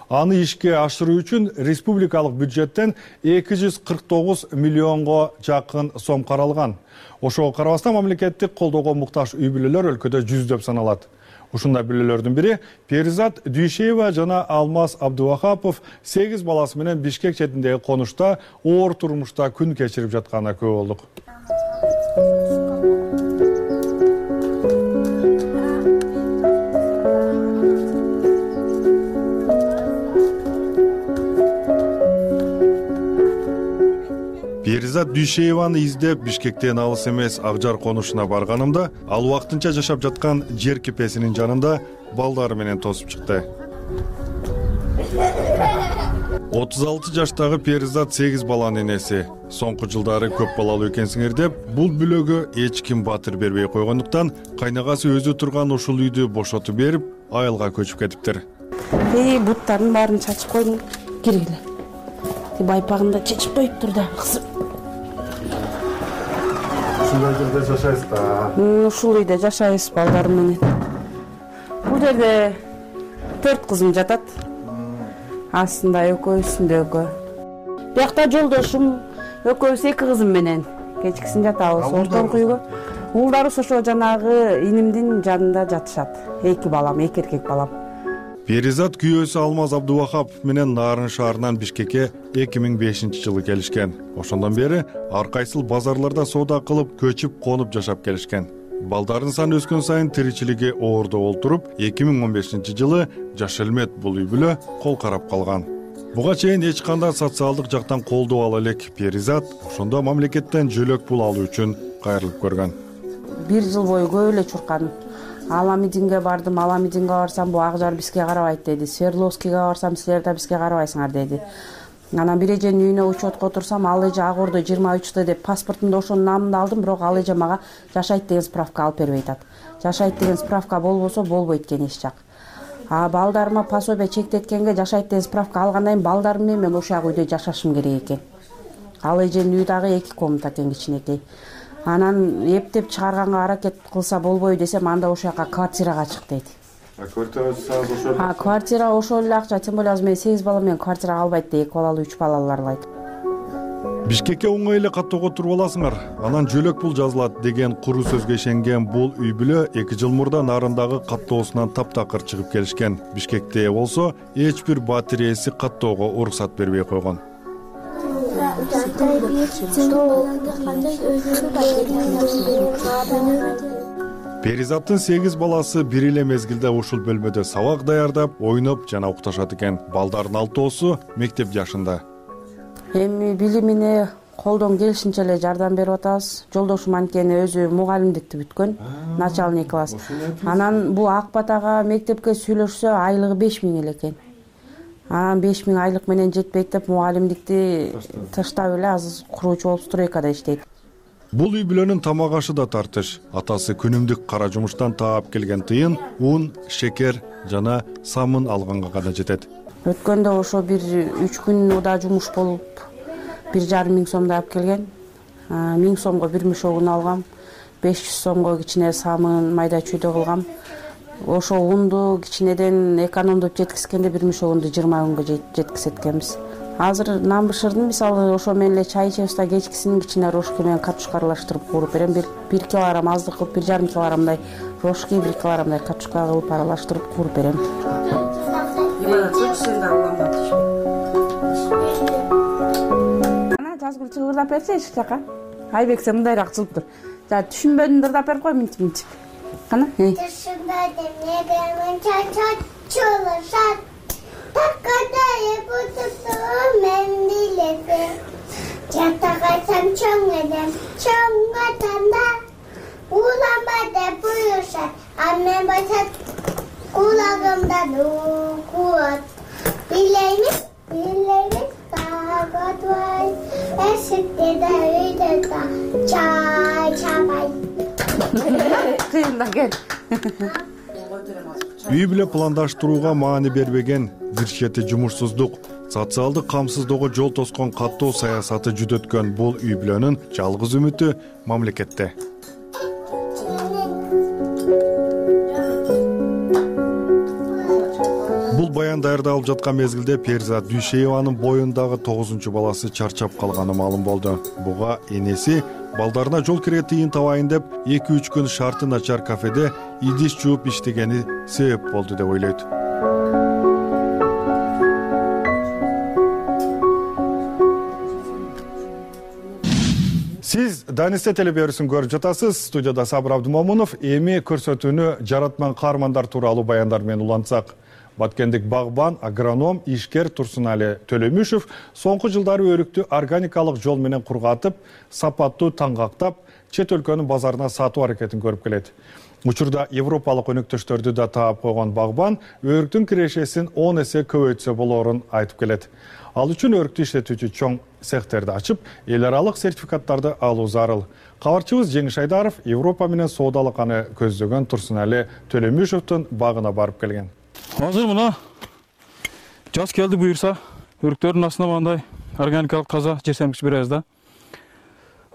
Аны ишке ашыруу үчүн республикалык бюджеттен 249 миллионго жакын сом каралган. Ошого карабастан мамлекеттик колдоого муктаж үй бүлөлөр өлкөдө жүздөп саналат. Ушундай бүлөлөрдүн бири Перизат Дүйшеева жана Алмаз Абдувахапов 8 баласы менен Бишкек четиндеги конушта оор турмушта күн кечирип жатканына күбө болдук. Перизат Дүйшееваны издеп Бишкектен алыс эмес Акжар конушуна барганымда, ал убактынча жашап жаткан жер кепесинин жанында балдары менен тосуп чыкты. 36 жаштагы Перизат 8 баланын энеси. Соңку жылдары көп балалуу экенсиңер деп, бул бүлөгө эч ким батыр бербей койгондуктан, кайнагасы өзү турган ушул үйдү бошотуп берип, айылга көчүп кетиптир. Буттарын баарын чачып койдум, киргиле. Байпагында чечип коюптур да, кызым. Ушундай жерде жашайсыз да? Ушул үйдө жашайбыз балдарым менен. Бул жерде 4 кызым жатат. Астында экөө, үстүндө экөө. Биякта жолдошум экөөбүз 2 кызым менен кечкисин жатабыз ортоңку үйгө. Уулдарыбыз ошо жанагы инимдин жанында жатышат. 2 балам, 2 эркек балам. Перизат күйөөсү Алмаз Абдувахапов менен Нарын шаарынан Бишкекке 2005-жылы келишкен. Ошондон бери ар кайсыл базарларда соода кылып, көчүп, конуп жашап келишкен. Балдарын саны өскөн сайын тиричилиги оордо олтуруп, 2015-жылы Жаш Элмет бул үй бүлө кол карап калган. Буга чейин эч кандай социалдык жактан колдоо ала элек Перизат ошондо мамлекеттен жөлөк пул алуу үчүн кайрылып көргөн. 1 жыл бою көп эле чуркадым. Ала митингге бардым, ала митингге барсам бу Акжар бизге карабайт деди. Свердловскийге барсам силер да бизге карабайсыңар деди. Анан бир эженин үйүнө учетко отурсам, ал эже ак ордо 23 деп паспортумду ошонун намында алдым, бирок ал эже мага жашайт деген справка алып бербей атат. Жашайт деген справка болбосо болбойт экен эч жак. Балдарыма пособие чектеткенге жашайт деген справка алгандан кийин балдарым менен мен ошол үйдө жашашым керек экен. Ал эженин үйү дагы 2 комната экен, кичинекей. Анан эптеп чыгарганга аракет кылса болбойбу десем, анда ошол жака квартирага чык дейт. Квартира ошол эле акча, тем более азыр мен 8 бала менен квартирага албайт да, 2 балалуу, 3 балаларлайт. Бишкекке оңой эле каттоого туруп аласыңар, анан жөлөк пул жазылат деген куру сөзгө ишенген бул үй бүлө 2 жыл мурда Нарындагы каттоосунан таптакыр чыгып келишкен. Бишкекте болсо эч бир батир ээси каттоого уруксат бербей койгон. Перизаттын 8 баласы бир эле мезгилде ушул бөлмөдө сабак даярдап, ойноп жана укташат экен. Балдардын 6оосу мектеп жашында. Эми билимине колдон келишинче эле жардам берип атабыз. Жолдошум анткени өзү мугалимдикти бүткөн, начальник класс. Анан бул Акбатага мектепке сүйлөшсө айлыгы 5000 эле экен. Анан 5000 айлык менен жетпейт деп мугалимдикти таштап эле азыр куруучу болуп стройкада иштейт. Бул үй бүлөнүн тамак ашы да тартыш. Атасы күнүмдүк кара жумуштан таап келген тыйын, ун, шекер жана самын алганга гана жетет. Өткөндө ошо бир 3 күн уда жумуш болуп 1,5 миң сомду алып келген. 1000 сомго бир мешок un алгам. 500 сомго кичине самын майда чүйдө кылгам. Ошо унду кичинеден экономдоп жеткизгенде бир мешок унду 20 күнгө жеткизет экенбиз. Азыр нан бышырдым, мисалы ошо менен эле чай ичебиз да кечкисин кичине рожки менен картошка аралаштырып кууруп берем. 1 килограмм аздык кылып 1,5 килограммдай рожки, 1 килограммдай картошка кылып аралаштырып кууруп берем. Ана жазгыл чыгырдап берсе эшик жака. Айбек сен мындайраак чыгып тур. За түшүнбөдүң дырдап берип кой минтип. Кана? Түшүнбөдүм, негемен чачылышат. Такадай бутупту мен билесем. Жатагайсам чоң элем, чоң атанда. Уланба деп буюрушат, а мен байсат кулагымдан укуат. Билеймиз, тагатбай. Эшикте да үйдө да чай чабай. Кыйында кел. Үй бүлө пландаштырууга маани бербеген, бир чети жумушсуздук, социалдык камсыздоого жол тоскон каттуу саясаты жүдөткөн бул үй бүлөнүн жалгыз үмүтү мамлекетте. Бул баян даярдалып жаткан мезгилде Перизат Дүйшееванын боюндагы 9 баласы чарчап калганы маалым болду. Буга энеси балдарына жол кире тыйын табайын деп 2-3 күн шарты начар кафеде идиш жууп иштегени себеп болду деп ойлойт. Сиз Данисте телеберүүсүн көрүп жатасыз. Студияда Сабыр Абдымомунов. Эми көрсөтүүнү жаратман каармандар тууралуу баяндар менен улантсак. Баткендик багбан, агроном, ишкер Турсунали Төлөмүшев соңку жылдары өрүктү органикалык жол менен кургатып, сапаттуу таңгактап, чет өлкөнүн базарына сатуу аракетин көрүп келет. Учурда европалык өнөктөштөрдү да таап койгон багбан өрүктүн кирешесин 10 эсе көбөйтсө болоорун айтып келет. Ал үчүн өрүктү иштетүүчү чоң цехтерди ачып, эл аралык сертификаттарды алуу зарыл. Кабарчыбыз Жеңиш Айдаров Европа менен соодалыканы көздөгөн Турсунали Төлөмүшевдин багына барып келген. Азыр мына жаз келди буюрса, өрүктөрдүн астына мындай органикалык таза жер сермикич беребиз да.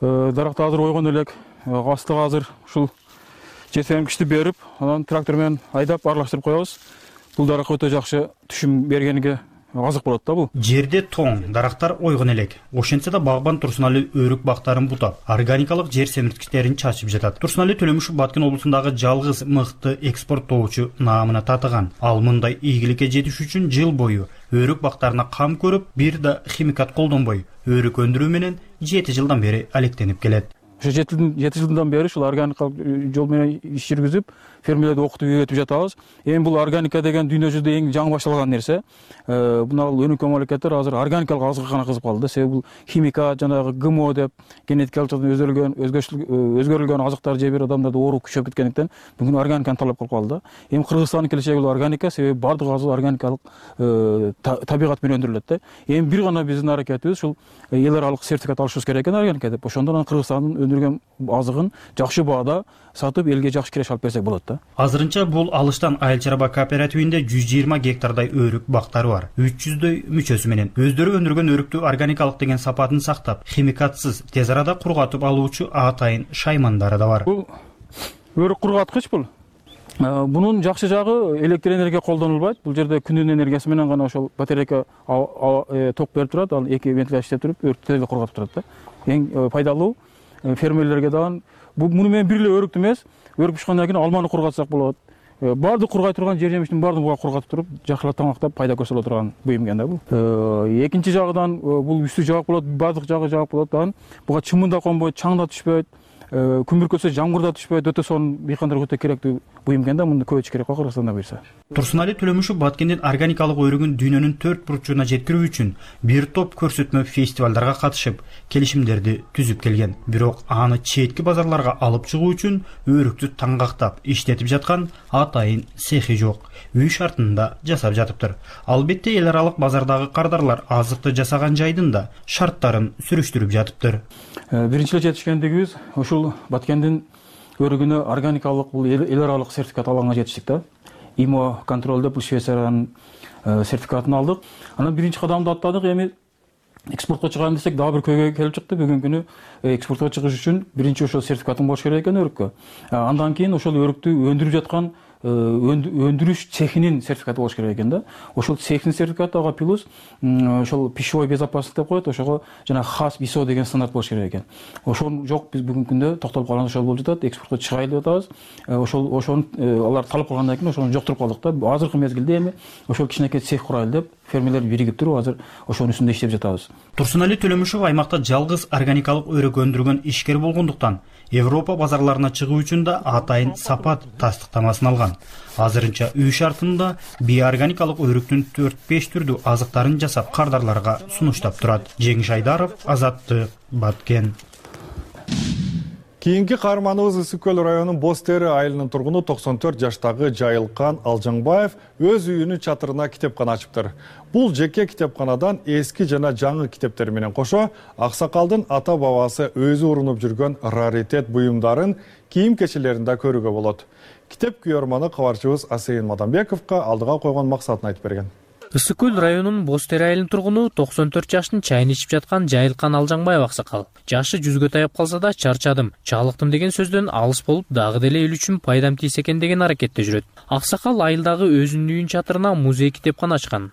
Даракты азыр ойгон элек, астыга азыр ушул жер сермикичти берип, анан трактор менен айдап аралаштырып коебуз. Бул дарак өтө жакшы түшүм бергениге азык болот да бул. Жерде тоң, дарактар ойгон элек. Ошентсе да багбан Турсунали өрүк бактарын бутап, органикалык жер семирткичтерин чачып жатат. Турсунали Төлөмүшев Баткен облусундагы жалгыз мыкты экспорттоочу наамына татыган. Ал мындай ийгиликке жетиш үчүн жыл бою өрүк бактарына кам көрүп, бир да химикат колдонбой, өрүк өндүрүү менен 7 жылдан бери алектенип келет. Ошо 7 жылдан бери ушул органикалык жол менен иш жүргүзүп, фермерлерди окутуп үйрөтүп жатабыз. Эми бул органика деген дүйнө жүзүндө эң жаңы башталган нерсе. Мына өнүккөн мамлекеттер азыр органикалык азыкка гана кызык калды. Себеби бул химика, жанагы ГМО деп генетикалык өзгөрүлгөн азыктар жеп бир адамдарда оору күчөп кеткендиктен бүгүн органиканы талап кылып калды. Эми Кыргызстандын келечеги бул органика, себеби бардык азык органикалык табигат менен өндүрүлөт да. Эми бир гана биздин аракетибиз ушул эл аралык сертификат алышыбыз керек экен органика деп. Ошондон Кыргызстандын өндүргөн азыгын жакшы баада сатып элге жакшы киреш алып берсек болот да. Азырынча бул алыштан Айыл чарба кооперативинде 120 гектардай өрүк бактары бар. 300дөй мүчөсү менен өздөрү өндүргөн өрүктү органикалык деген сапатын сактап, химикатсыз тез арада кургатып алуучу атайын шаймандары да бар. Бул өрүк кургаткыч бул. Бунун жакшы жагы электр энергия колдонулбайт. Бул жерде күнүн энергиясы менен гана ошол батарейка ток берип турат, ал эки вентиляция иштеп туруп өрүктү тез кургатып турат да. Эң пайдалуу фермерлерге дагы муну менен бир эле өрүктү эмес, өрүк бышкандан кийин алманы кургатсак болот. Бардык кургай турган жер жемиштин баардыгын буга кургатып туруп, жакшылап таңактап пайда көрсөтө турган буюм экен да бул. Экинчи жагынан бул үстү жабык болот, бардык жагы жабык болот. Дагы буга чымын да конбойт, чаң да түшпөйт, күн бүркөтсө жамгыр да түшпөйт. Өтө сонун дыйкандарга өтө керектүү буюм экен да, муну көбөйтүш керек го Кыргызстанда буюрса. Турсунали Төлөмүшев Баткендин органикалык өрүгүн дүйнөнүн 4 бурчуна жеткирүү үчүн бир топ көрсөтмө фестивалдарга катышып, келишимдерди түзүп келген. Бирок аны четки базарларга алып чыгуу үчүн өрүктү таңгактап иштетип жаткан атайын цехи жок. Үй шартында жасап жатыптыр. Албетте эл аралык базардагы кардарлар азыкты жасаган жайдын да шарттарын сүрүштүрүп жатыптыр. Биринчи эле жетишкендигибиз ушул Баткендин өрүгүнө органикалык бул эл аралык сертификат алганга жетиштик да. ИМО контроль деп Швейцариянын сертификатын алдык. Анан биринчи кадамды аттадык. Эми экспортко чыгайын десек дагы бир көйгөй келип чыкты. Бүгүнкү күнү экспортко чыгыш үчүн биринчи ошол сертификатын болуш керек экен өрүккө. Андан кийин ошол өрүктү өндүрүп жаткан өндүрүш цехинин сертификаты болуш керек экен да. Ошол цехтин сертификаты ага плюс ошол пищевой безопасность деп коет, ошого жана хас ИСО деген стандарт болуш керек экен. Ошол жок, биз бүгүнкү күндө токтолуп калган ошол болуп жатат. Экспортко чыгайлы деп атабыз. Ошону алар талап кылгандан кийин ошону жоктуруп калдык да. Азыркы мезгилде эми ошол кичинекей цех курайлы деп фермерлер биригип туруп азыр ошонун үстүндө иштеп жатабыз. Турсунали Төлөмүшев аймакта жалгыз органикалык өрүк өндүргөн ишкер болгондуктан Европа базарларына чыгуу үчүн да атайын сапат тастыктамасын алган. Азырынча үй шартында биоорганикалык өрүктүн 4-5 түрдүү азыктарын жасап кардарларга сунуштап турат. Жеңиш Айдаров, Азаттык, Баткен. Кийинки каарманыбыз Ысык көл районунун Боз Тери айылынын тургуну 94 жаштагы Жайылкан Алжаңбаев өз үйүнүн чатырына китепкана ачыптыр. Бул жеке китепканадан эски жана жаңы китептер менен кошо аксакалдын ата бабасы өзү урунуп жүргөн раритет буюмдарын кийим-кечелеринде көрүүгө болот. Китеп күйөрманы кабарчыбыз Асейин Мадамбековго алдыга койгон максатын айтып берген. Ысык көл районунун Боз Тери айылынын тургуну 94 жаштын чайын ичип жаткан Жайылкан Алжаңбаев аксакал. Жашы 100гө таяп калса да чарчадым, чалыктым деген сөздөн алыс болуп, дагы деле эл үчүн пайдам тийсе экен деген аракетте жүрөт. Аксакал айылдагы өзүнүн үйүнүн чатырына музей китепкана ачкан.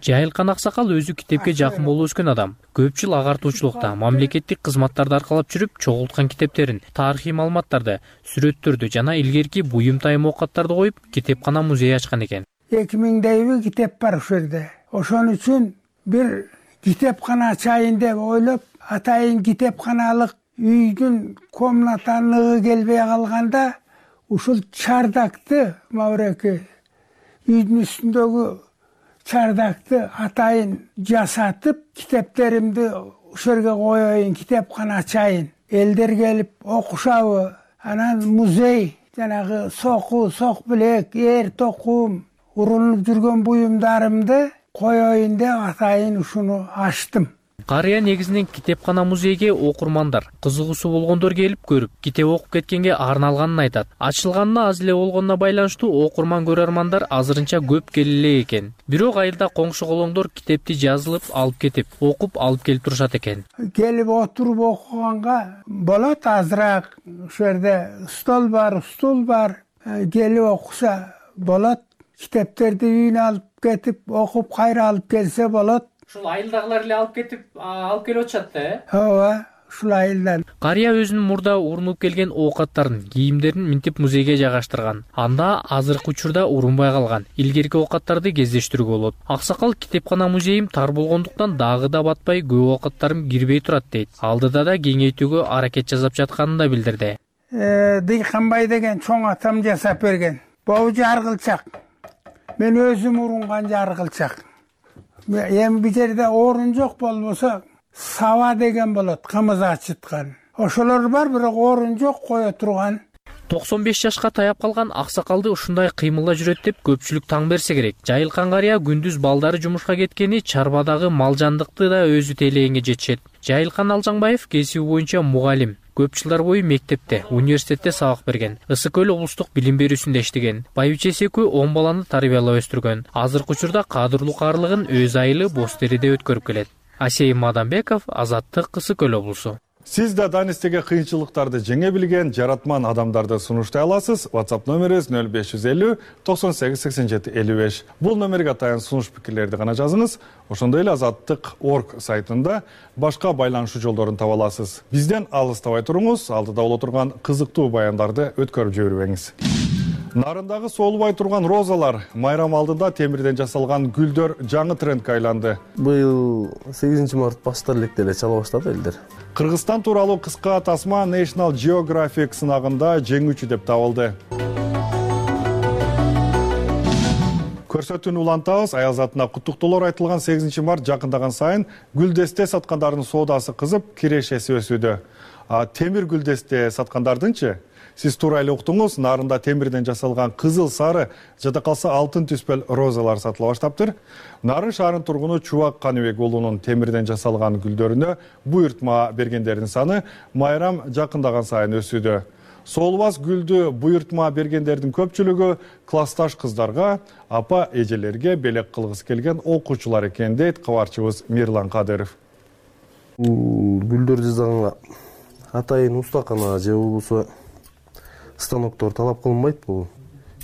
Жайылкан аксакал өзү китепке жакын болуп өскөн адам. Көп жыл агартуучулукта, мамлекеттик кызматтарды аркалап жүрүп, чогулткан китептерин, тарыхый маалыматтарды, сүрөттөрдү жана илгерки буюм тайым оокаттарды коюп, китепкана музей ачкан экен. 2000 китеп бар ушул жерде. Ошон үчүн бир китепкана ачайын деп ойлоп, атайын китепканалык үйдүн комнаталыгы келбей калганда, ушул чардакты мабыреки үйдүн үстүндөгү чардакты атайын жасатып, китептеримди ушул жерге коеюн, китепкана ачайын. Элдер келип окушабы, анан музей, жанагы соку, сок билек, эр токум, урунуп жүргөн буюмдарымды коеюн деп атайын ушуну ачтым. Карыя негизинен китепкана музейге окурмандар, кызыгуусу болгондор келип көрүп, китеп окуп кеткенге арналганын айтат. Ачылганына аз эле болгонуна байланыштуу окурман көрөрмандар азырынча көп келе экен. Бирок айылда коңшу колоңдор китепти жазылып алып кетип, окуп алып келип турушат экен. Келип отуруп окуганга болот, азыраак ушул жерде стол бар, стул бар, келип окуса болот. Китептерди үйүнө алып кетип, окуп кайра алып келсе болот. Ушул айылдагылар эле алып келип атышат да, Ооба, ушул айылдан. Карыя өзүнүн мурда урунуп келген оокаттарын, кийимдерин минтип музейге жайгаштырган. Анда азыркы учурда урунбай калган илгерки оокаттарды кездештирүүгө болот. Аксакал китепкана музейим тар болгондуктан дагы да батпай көп оокаттарым кирбей турат дейт. Алдыда да кеңейтүүгө аракет жасап жатканын да билдирди. Дыйканбай деген чоң атам жасап берген. Бул жаргылчак. Мен өзүм урунган жаргылчак. Эми бул жерде орун жок болбосо саба деген болот, кымыз ачыткан. Ошолор бар, бирок орун жок кое турган. 95 жашка таяп калган аксакалды ушундай кыймылда жүрөт деп көпчүлүк таң берсе керек. Жайылкан карыя күндүз балдары жумушка кеткени чарбадагы малжандыкты да өзү тейлегенге жетишет. Жайылкан Алжаңбаев кесиби боюнча мугалим. Көп жылдар бою мектепте, университетте сабак берген. Ысык көл облустук билим берүүсүндө иштеген. Байбичеси экөө 10 баланы тарбиялап өстүргөн. Азыркы учурда кадрлуу карлыгын өз айылы Боз Териде өткөрүп келет. Асейин Мадамбеков, Азаттык, Ысык көл облусу. Сиз да данистеге кыйынчылыктарды жеңе билген жаратман адамдарды сунуштай аласыз. WhatsApp номерибиз 0550 98 87 55. Бул номерге атайын сунуш пикирлерди гана жазыңыз. Ошондой эле azаттык.org сайтында башка байланышуу жолдорун таба аласыз. Бизден алыстабай туруңуз, алдыда боло турган кызыктуу баяндарды өткөрүп жибербеңиз. Нарындагы соолубай турган розалар, майрам алдында темирден жасалган гүлдөр жаңы трендке айланды. Быйыл 8 март баштар электе эле чала баштады элдер. Кыргызстан тууралуу кыска тасма National Geographic сынагында жеңүүчү деп табылды. Көрсөтүүнү улантабыз. Аялзатына куттуктоолор айтылган 8 март жакындаган сайын гүлдесте саткандардын соодасы кызып, кирешеси өсүүдө. Темир гүлдесте саткандардынчы? Сиз туура эле уктуңуз, нарында темирден жасалган кызыл, сары, жада калса алтын түспөл розалар сатыла баштаптыр. Нарын шаарынын тургуну Чубак Каныбек уулунун темирден жасалган гүлдөрүнө буйртма бергендердин саны майрам жакындаган сайын өсүүдө. Соолубас гүлдү буйртма бергендердин көпчүлүгү классташ кыздарга, апа эжелерге белек кылгысы келген окуучулар экен дейт кабарчыбыз Мирлан Кадыров. Гүлдөр жасаганга атайын устакана же болбосо станоктор талап кылынбайт. Бул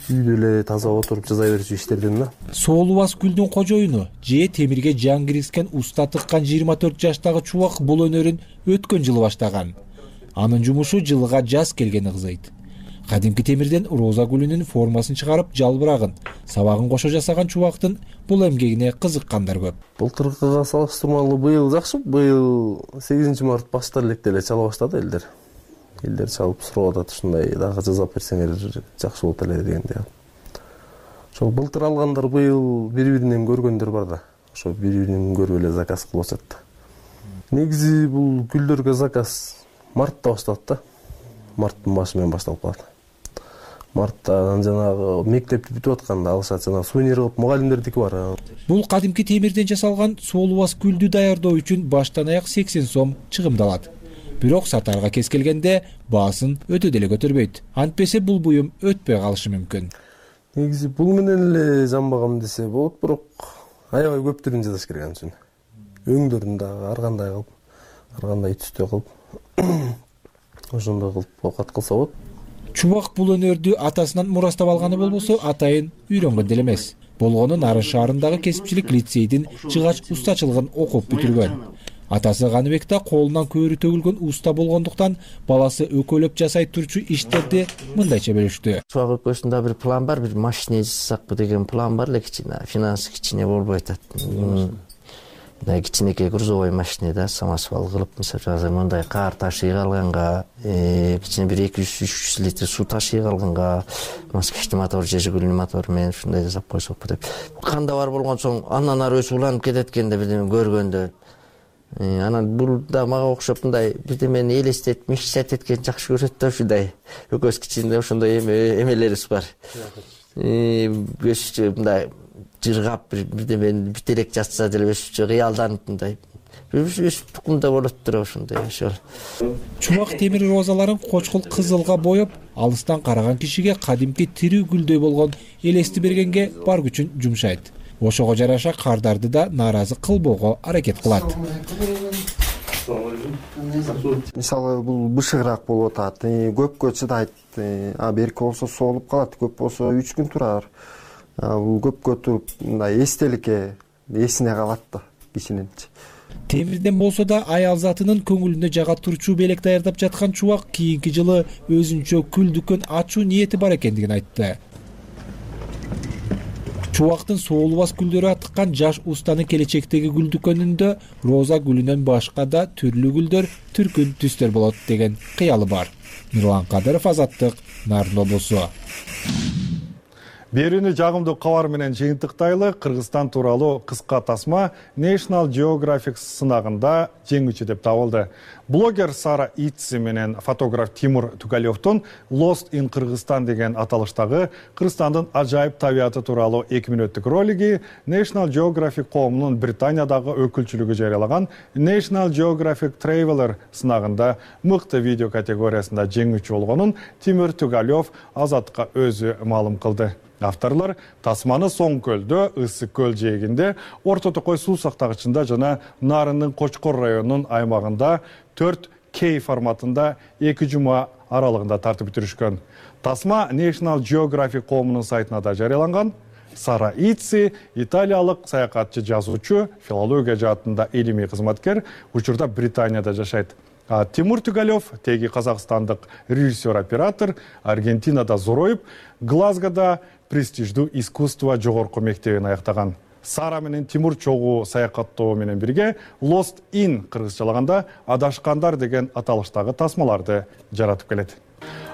үйдө эле таза отуруп жасай берчү иштерден да. Соолубас гүлдүн кожоюну же темирге жан киргизген уста тыккан 24 жаштагы Чубак бул өнөрүн өткөн жылы баштаган. Анын жумушу жылга жаз келгени кызыйт. Кадимки темирден роза гүлүнүн формасын чыгарып, жалбырагын, сабагын кошо жасаган Чубактын бул эмгегине кызыккандар көп. Былтыркыга салыштырмалуу быйыл жакшы. Быйыл 8 март баштар электе эле чала баштады элдер. Элдер чалып сурап атат, ушундай дагы жасап берсеңер жакшы болот эле дегенде. Ошол былтыр алгандар быйыл бири-биринен көргөндөр бар да. Ошо бири-биринен көрүп эле заказ кылып атат. Негизи бул гүлдөргө заказ мартта башталат да. Марттын башы менен башталып калат. Марттан жанагы мектепти бүтүп атканда алышат, жана сувенир кылып мугалимдердики бар. Бул кадимки темирден жасалган соолубас гүлдү даярдоо үчүн баштан аяк 80 сом чыгымдалат. Бирок сатарга кез келгенде баасын өтө деле көтөрбөйт. Антпесе бул буюм өтпөй калышы мүмкүн. Негизи бул менен эле жанбагам десе болот, бирок аябай көп түрүн жасаш керек анын үчүн. Өңдөрүн дагы ар кандай кылып, ар кандай түстө кылып, ошондой кылып оокат кылса болот. Чубак бул өнөрдү атасынан мурастап алганы болбосо, атайын үйрөнгөн деле эмес. Болгону Нарын шаарындагы кесипчилик лицейдин жыгач устачылыгын окуп бүтүргөн. Атасы Каныбек да колунан көөрү төгүлгөн уста болгондуктан баласы өкөлөп жасай турчу иштерди мындайча бөлүштү. Чубак өкөсүндө бир план бар, бир машина жасасакпы деген план бар эле, кичине финансы кичине болбой атат. Кичинекей грузовой машина да, самосвал кылып, мисалы мындай кар ташый калганга, кичине бир 200-300 литр суу ташый калганга, москвичный мотор же жигулиный мотор менен ушундай жасап койсокпу деп. Канда бар болгон соң андан ары өсүп уланып кетет экенде бирдеме көргөндө. Анан бул да мага окшоп мындай бирдемени элестетип, мечтать эткен жакшы көрөт да, ушундай. Өкөс кичинде ошондой эмелерибиз бар. Өсүчү мындай жыргап бирдемени бүтелек жатса деле өсүчү кыялданып мындай. Өсүп тукумда болот тура ошондой ошол. Чубак темир розаларын кочкул кызылга боеп, алыстан караган кишиге кадимки тирүү гүлдөй болгон элести бергенге бар күчүн жумшайт. Ошого жараша кардарды да нааразы кылбоого аракет кылат. Мисалы бул бышыгыраак болуп атат, көпкө чыдайт, берки болсо соолуп калат, көп болсо 3 күн турар. Бул көпкө туруп мындай эстеликке эсине калат да кишинин. Темирден болсо да аял затынын көңүлүнө жага турчу белек даярдап жаткан Чубак кийинки жылы өзүнчө күл дүкөн ачуу ниети бар экендигин айтты. Чубактын соолубас гүлдөрү атыккан жаш устанын келечектеги гүл дүкөнүндө роза гүлүнөн башка да түрлүү гүлдөр, түркүн түстөр болот деген кыялы бар. Мирлан Кадыров, Азаттык, Нарын облусу. Берүүнү жагымдуу кабар менен жыйынтыктайлы. Кыргызстан тууралуу кыска тасма National Geographic сынагында жеңүүчү деп табылды. Блогер Сара Итси менен фотограф Тимур Тугалевдун Lost in Кыргызстан деген аталыштагы Кыргызстандын ажайып табияты тууралуу 2 мүнөттүк ролиги National Geographic коомунун Британиядагы өкүлчүлүгү жарыялаган National Geographic Traveler сынагында мыкты видео категориясында жеңүүчү болгонун Тимур Тугалев Азаттыкка өзү маалым кылды. Авторлар тасманы Соң көлдө, Ысык көл жээгинде, Орто Токой суу сактагычында жана Нарындын Кочкор районунун аймагында 4K форматында 2 жума аралыгында тартып бүтүрүшкөн. Тасма National Geographic коомунун сайтына да жарыяланган. Сара Итси италиялык саякатчы, жазуучу, филология жаатында илимий кызматкер, учурда Британияда жашайт. Тимур Тугалев, теги казакстандык режиссер-оператор, Аргентинада зороюп, Глазгода престиждүү искусство жогорку мектебин аяктаган. Сара менен Тимур чогуу саякаттоо менен бирге Lost in кыргызчалаганда адашкандар деген аталыштагы тасмаларды жаратып келет.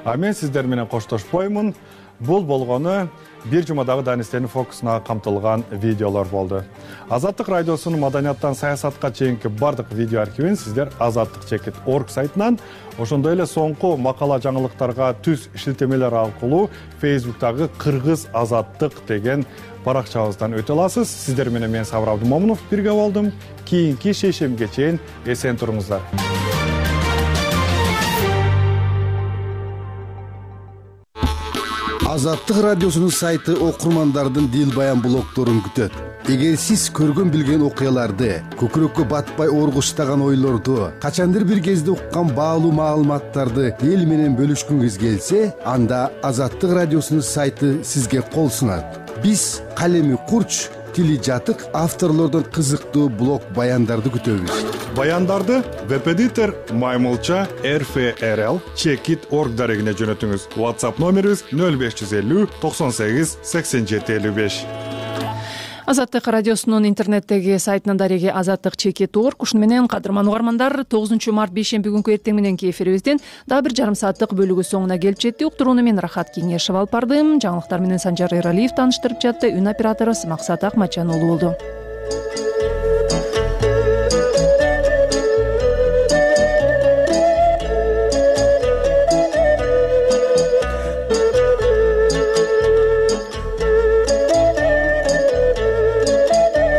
А мен сиздер менен коштошпоймун. Бул болгону бир жумадагы Данистенин фокусуна камтылган видеолор болду. Азаттык радиосунун маданияттан саясатка чейинки бардык видео архивин сиздер azattik.org сайтынан, ошондой эле соңку макала жаңылыктарга түз шилтемелер аркылуу Facebook'тагы Кыргыз Азаттык деген баракчабыздан өтө аласыз. Сиздер менен мен Сабыр Абдымомунов бирге болдум. Кийинки шейшемге чейин эсен туруңуздар. Азаттык радиосунун сайты окурмандардын дил баян блогторун күтөт. Эгер сиз көргөн билген окуяларды, көкүрөккө батпай оргуштаган ойлорду, качандыр бир кезде уккан баалуу маалыматтарды эл менен бөлүшкүңүз келсе, анда Азаттык радиосунун сайты сизге кол сунат. Биз калеми курч, тили жатык авторлордон кызыктуу блог баяндарды күтөбүз. Баяндарды веб-эдитор Маймылча RFRL Checkit.org дарегине жөнөтүңүз. WhatsApp номерибиз 0550 98 87 55. Азаттык радиосунун интернеттеги сайтынын дареги azattik.checkit.org. Ушуну менен кадырман угармандар, 9 март бейшемби күнкү эртең мененки эфирибиздин дагы бир жарым сааттык бөлүгү соңуна келип жетти. Уктурууну мен Рахат Кеңешев алып бардым. Жаңылыктар менен Санжар Эралиев тааныштырып жатты. Үн оператору Максат Акматжан уулу болду.